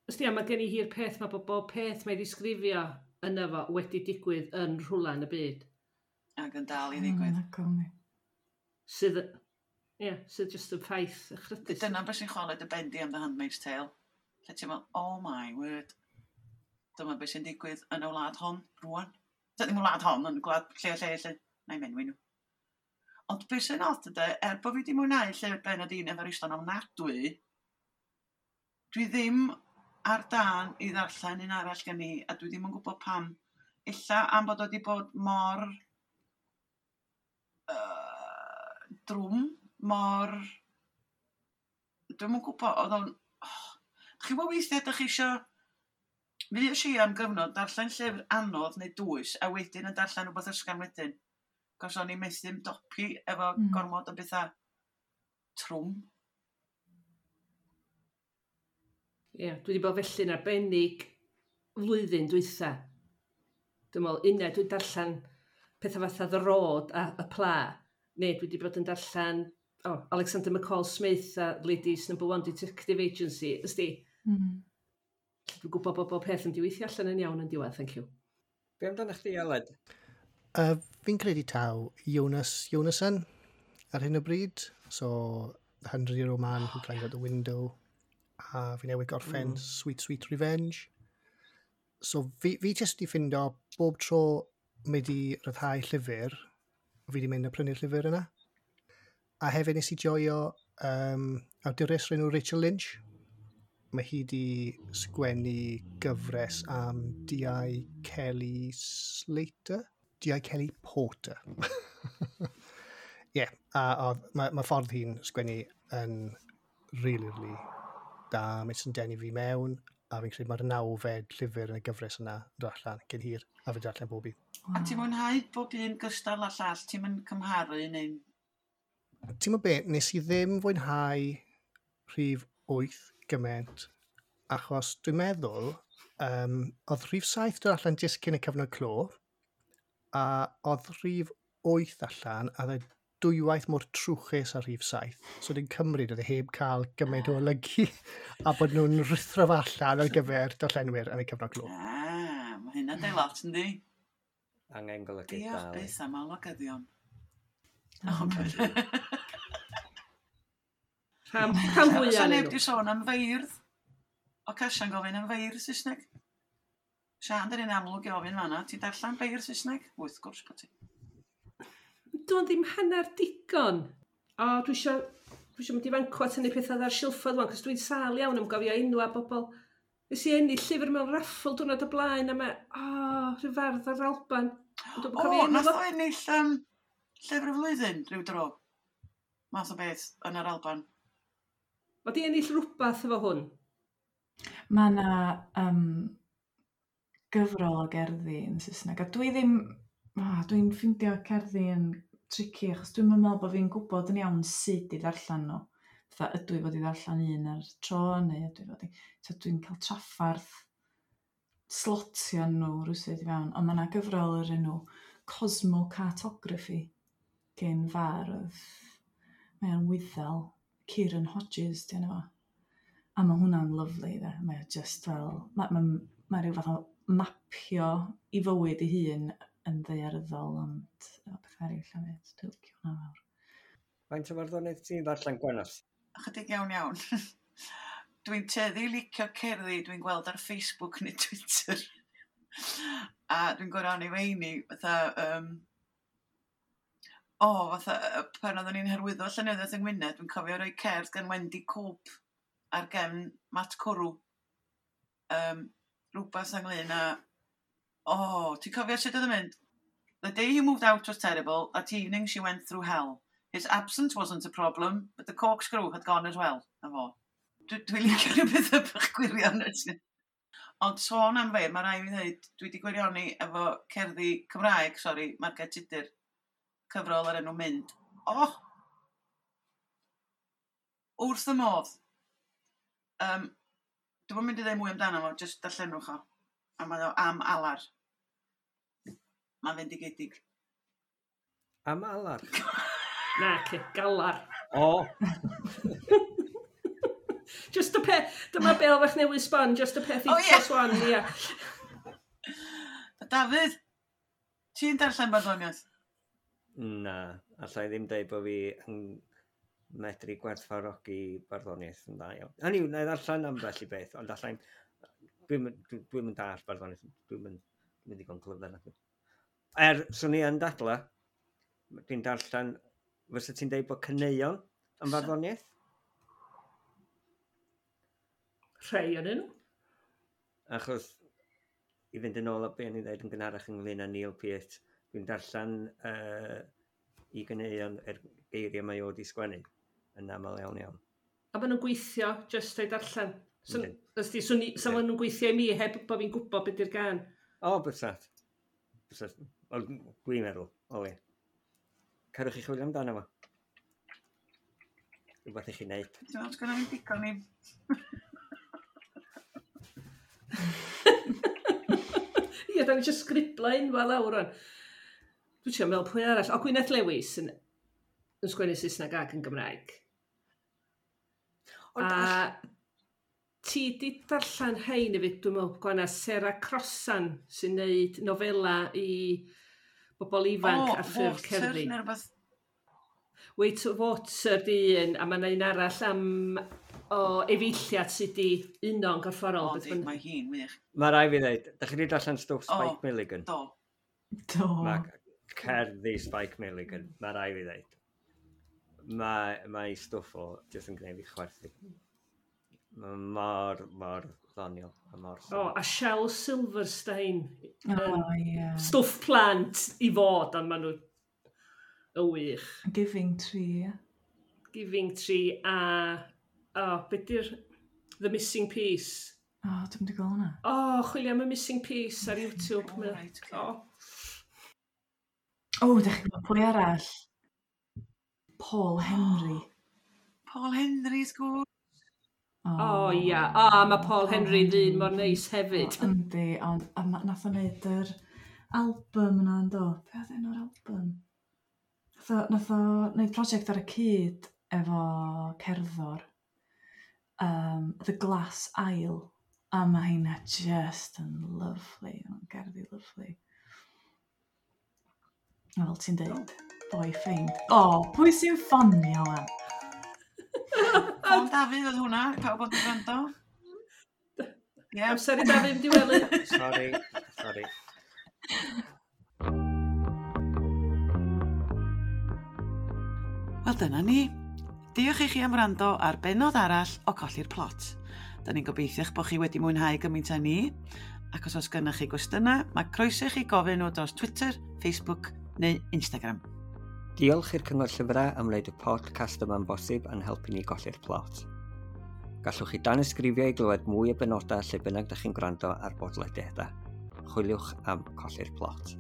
Ysdi, a mae gen i hi'r peth mae bod bob peth mae ddisgrifio yna fo wedi digwydd yn rhywle yn y byd. Ac yn dal i Mm, ddigwydd. anhygoel, yndi. Sydd, ie, yeah, sydd just yn ffaith echrydus. Dyna beth sy'n chwalu dy ben di am The Handmaid's Tale. Lle ti'n meddwl, "Oh my word. Dyma beth sy'n digwydd yn y wlad hon, rwan." Dyna ddim y wlad hon, yn gwlad lle, lle, lle. Na i menwi nhw. Ond beth sy'n od ydy, er bod fi wedi mwynhau llyfr Bernardine Evaristo yn ofnadwy, dwi ddim ar dân i ddarllen un arall gen i, a dwi ddim yn gwybod pam. Ella am bod o wedi bod mor uh, drwm, mor. Dwi'm yn gwybod, oedd o'n. Oh. Chi gwybod weithiau ydych chi isio. Fues i am gyfnod darllen llyfr anodd neu dwys, a wedyn yn darllen rhywbeth ysgafn wedyn. Cos o'n i'n methu ymdopi efo Mm. gormod o bethau trwm. Ie, yeah, dwi wedi bod felly'n arbennig flwyddyn dwytha. Dwi'n meddwl, unai dwi'n darllen pethau fatha The Road a Y Pla, neu dwi wedi bod yn darllen oh, Alexander McCall Smith a Ladies Number One Detective Agency. Ysdi, Mm. dwi'n gwybod bod bob peth yn diweithio allan yn iawn yn diwedd, thank you. Be amdano chdi, Aled? Uh, fi'n credu taw Jonas Jonasson ar hyn o bryd. So, The Hundred Year Old Man Who Climbed Out the Window. A fi newydd gorffen mm. Sweet Sweet Revenge. So, fi, fi jyst di ffindo bob tro mae di ryddhau llyfr, fi di mynd a prynu'r llyfr yna. A hefyd nes i joio um, awdures o'r enw Rachel Lynch. Mae hi di sgwennu gyfres am D I. Kelly Slater? D I. Kelly Porter. Ie, yeah, a oedd, mae, mae ffordd hi'n sgwennu yn really, really da. Mae sy'n denu fi mewn, a fi'n credu mae'r nawfed llyfr yn y gyfres yna yn dod allan cyn hir, a fi'n darllen bob un. A ti'n mwynhau bob un gystal â llall, ti'n mynd cymharu neu? Ti'n gwybod be, nes i ddim fwynhau rhif wyth gymaint, achos dwi'n meddwl, um, oedd rhif saith dod allan jyst cyn y cyfnod clo, a oedd rhif wyth allan, a oedd e dwywaith mor trwchus ar rhif saith. So dwi'n cymryd oedd e heb cael gymaint o olygu, a bod nhw'n rhuthro fo allan ar gyfer darllenwyr yn y cyfnod clo. Ah, mae hynna'n deud lot, yndi? Angen golygu Diolch dal. byth am olygyddion. Oh. Rhan, rhan fwyaf Oes ohonyn neb nhw. di sôn am feirdd? O Casian gofyn am feirdd Saesneg. Sian, dyn ni'n amlwg i ofyn fanna. Ti'n darllen beirdd Saesneg? Wrth gwrs bod ti. Dwi'n ddim hanner digon. O, dwi isio, dwi isio mynd i fanco at hynny pethau ar silffoedd wan, cos dwi'n sâl iawn am gofio enw a bobl. Nes i ennill llyfr mewn raffl diwrnod o blaen, a mae, o, rhyw fardd ar Alban. Ond dwi'm yn O, cofio enw nath fo. o ennill um, llyfr y flwyddyn rhyw dro. Math o beth yn yr Alban. Mae di ennill rhywbeth efo hwn. Mae yna um, gyfrol o gerddi yn Saesneg, a dwi ddim, oh, dwi'n ffeindio cerddi yn tricky, achos dwi'n meddwl bod fi'n gwybod yn iawn sut i ddarllen nhw. Fatha, ydw i fod i ddarllen un ar tro, neu ydw i fod i. So dwi'n cael traffarth slotio nhw rhywsut i fewn, ond mae yna gyfrol o'r enw Cosmocartography gen fardd. Mae o'n Wyddel, Kieran Hodges, di enw fo. A mae hwnna'n lyfli, de. Mae o just fel. Mae, mae, mae rhyw fath o mapio i fywyd ei hun yn ddaearyddol, ond efo pethau eraill hefyd. Dwi'n licio hwnna fawr. Faint o farddoniaeth ti'n ddarllen, Gwenallt? Ychydig iawn iawn. Dwi'n tueddu i licio cerddi dwi'n gweld ar Facebook neu Twitter. A dwi'n gwirioni feini, fatha, um, o, fatha, yy, pan oeddwn ni'n hyrwyddo llenyddiaeth yng Ngwynedd, dwi'n cofio rhoi cerdd gan Wendy Cope ar gefn Mat Cwrw. Um, rhywbeth ynglyn â... O, oh, ti'n cofio sut oedd yn mynd? The day he moved out was terrible. That evening she went through hell. His absence wasn't a problem, but the corkscrew had gone as well. Na fo. Dwi, dwi'n licio rhyw beth bach gwirion. Ond sôn am fe, mae rhaid i fi ddweud, dwi wedi gwirioni efo cerddi Cymraeg, sori, Marged Tudur, cyfrol ar enw Mynd. Oh! Wrth y modd. Um, Dwi'm yn mynd i ddweud mwy amdano fo, jyst darllenwch o. A mae o am alar. Mae'n fendigedig. Am alar? Na, ce, galar. O! Just y peth, dyma bel fach newydd sbon, just y peth i O, ie. swan, ia. Dafydd, ti'n darllen barddoniaeth? Na, allai ddim deud bod fi yn medru gwerthfawrogi barddoniaeth yn dda iawn. Hynny yw, na i ddarllen ambell i beth, ond allai'n... Dwi'm dwi, dwi'm yn dallt barddoniaeth, dwi'm yn dwi'm yn ddigon clyfar. nacdi. Er, swn i yn dadla, dwi'n darllen, fysa ti'n deud bod caneuon yn farddoniaeth? Rhai o'n nhw. Achos, i fynd yn ôl at be o'n i'n dweud yn gynharach ynglyn â Neil Peart, dwi'n darllen uh, i ganeuon yr geiriau mae o wedi sgwennu yn aml iawn iawn. A maen nhw'n gweithio just o'i darllen. So, Yndyn. ysdi, swn i, sa Ie. maen nhw'n gweithio i mi heb bod fi'n gwybod beth yw'r gan. O, bysat. Bysat. Wel, dwi'n meddwl, o le. Cerwch chi chwilio amdano fo. Rhywbeth i chi wneud. Dwi'n meddwl sgynna fi digon i... Ie, da ni eisiau sgribla unfa lawr o'n. Dwi'n trio meddwl pwy arall. O, Gwyneth Lewis yn, yn sgwennu Saesneg ac yn Gymraeg. Ond A all- ti di darllen hein hefyd, dwi'n meddwl, Gwana, Sarah Crossan sy'n neud nofela i bobl ifanc O, ar ffurf Water cerddi. neu rhywbeth. Weight of Water di un, a mae yna un arall am o efeilliad sydd di uno'n gorfforol. O, beth di, bynnag. mae hi'n wych. Mae rai fi ddeud, da chi wedi darllen stwff O. Spike Milligan? Do. Do. Mae cerddi Spike Milligan, mae rai fi ddeud. Mae, mae stwff o jyst yn gwneud fi chwerthu. Mae mor, mor ddoniol a mor O, syml. a Shel Silverstein. O, ie. Stwff plant i fod, ond maen nhw y wych. Giving Tree, ie. Giving Tree a... O, beth di'r The Missing Piece? O, dwi'm di gweld hwnna. O, chwilio am y Missing Piece ar YouTube. O, Mae- reit, ocê. O, O, dych chi'n gwybod pwy arall? Paul Henry. Paul Henry, sgwr. o ia. O, mae Paul Henry ddyn mor neis hefyd. O, Yndi, ond a ma- nath o wneud yr album yna yn do. Be oedd enw'r album? Nath o, nath o wneud prosiect ar y cyd efo cerddor. Um, The Glass Isle. A mae hynna just yn lovely. Mae'n gerddi lovely. A fel ti'n deud, boy ffeind. O, pwy sy'n ffonio wan? Ffôn Dafydd oedd hwnna, pawb oedd yn gwrando. Ie, Amser i Dafydd mynd i wely. Sorry, sorry. Wel dyna ni. Diolch i chi am wrando ar bennod arall o Colli'r Plot. Da ni'n gobeithio'ch bod chi wedi mwynhau gymaint â ni, ac os oes gennych chi gwestiynau, mae croeso i chi gofyn nhw dros Twitter, Facebook neu Instagram. Diolch i'r Cyngor Llyfrau am wneud y podcast yma'n bosib a'n helpu ni golli'r plot. Gallwch chi danysgrifio i glywed mwy o benodau lle bynnag ydych chi'n gwrando ar bodlediadau. Chwiliwch am Colli'r Plot.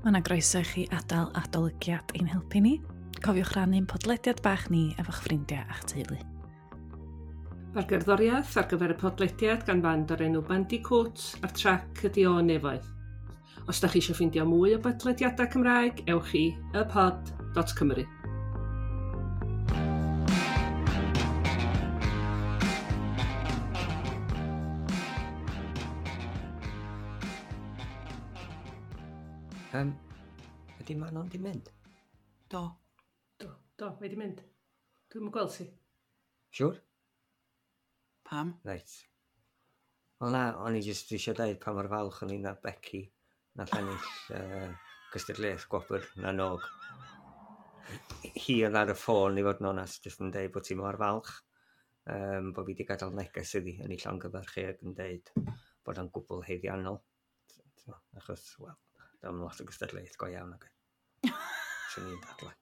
Mae yna groeso i chi adael adolygiad i'n helpu ni. Cofiwch rannu'n podlediad bach ni efo'ch ffrindiau a'ch teulu. Mae'r gerddoriaeth ar gyfer y podlediad gan band o'r enw Bandicoot a'r trac ydi o Nefoedd. Os da chi eisiau ffeindio mwy o bodlediadau Cymraeg, ewch i ypod dot cymru. Um, ydy Manon di mynd? Do. Do. Do, mae di mynd. Dwi'm yn gweld ti. Siwr? Pam? Reit. Wel na, o'n i jyst eisiau dweud pa mor falch o'n i na Becky nath ennill uh, cystadleuaeth Gwobr na n'Og. Hi oedd ar y ffôn, i fod yn onest, jyst yn deud bod ti mor falch. Um, bod fi wedi gadael neges iddi yn ei llongyfarch hi ac yn deud bod o'n gwbl haeddiannol. Achos, wel, dwi'n lot o gystadleuaeth go iawn ac swn i'n dadlau.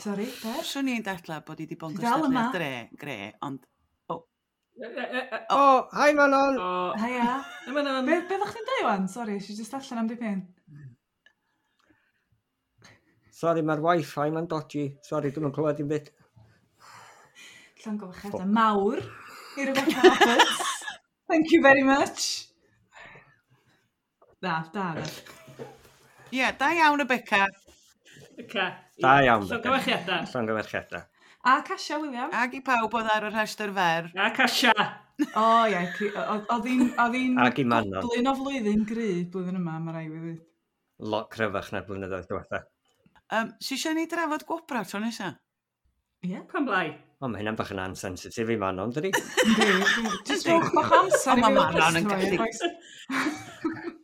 Sorry, be? Swn i'n dadlau bod i wedi bod yn Ti dal yma? gystadleuaeth dre, gre, ond E, e, e, e, O, oh, hi Manon! O, Haia. yma na'n. Be, be ddech chi'n dweud wan? Sorry, eisiau just allan am dipyn. Sorry, mae'r wifi ma'n dodgy. Sorry, dwi'm yn clywed dim byd. Llongyfarchiadau mawr i Rebecca Roberts. Thank you very much. Na, da, da. Ie, yeah, da iawn Rebecca. Beca. Da iawn, Beca. Llongyfarchiadau. Llongyfarchiadau. A Casia William. Ac i pawb oedd ar y rhestr fer. A Casia. O, ie, ci- o- oedd hi'n oedd hi'n Ac i Manon. goblin o flwyddyn gry blwyddyn yma, mae rai fi ddweud. Lot cryfach na'r blynyddoedd diwetha. Um, si eisiau ni drafod gwobrau tro nesa? Ie. Pam lai? O, mae hynna'n bach yn ansensitif i Manon, dydi? Yndi. Just rhowch bach o amser O, i ma' fi Manon yn fel gallu- customer, oes?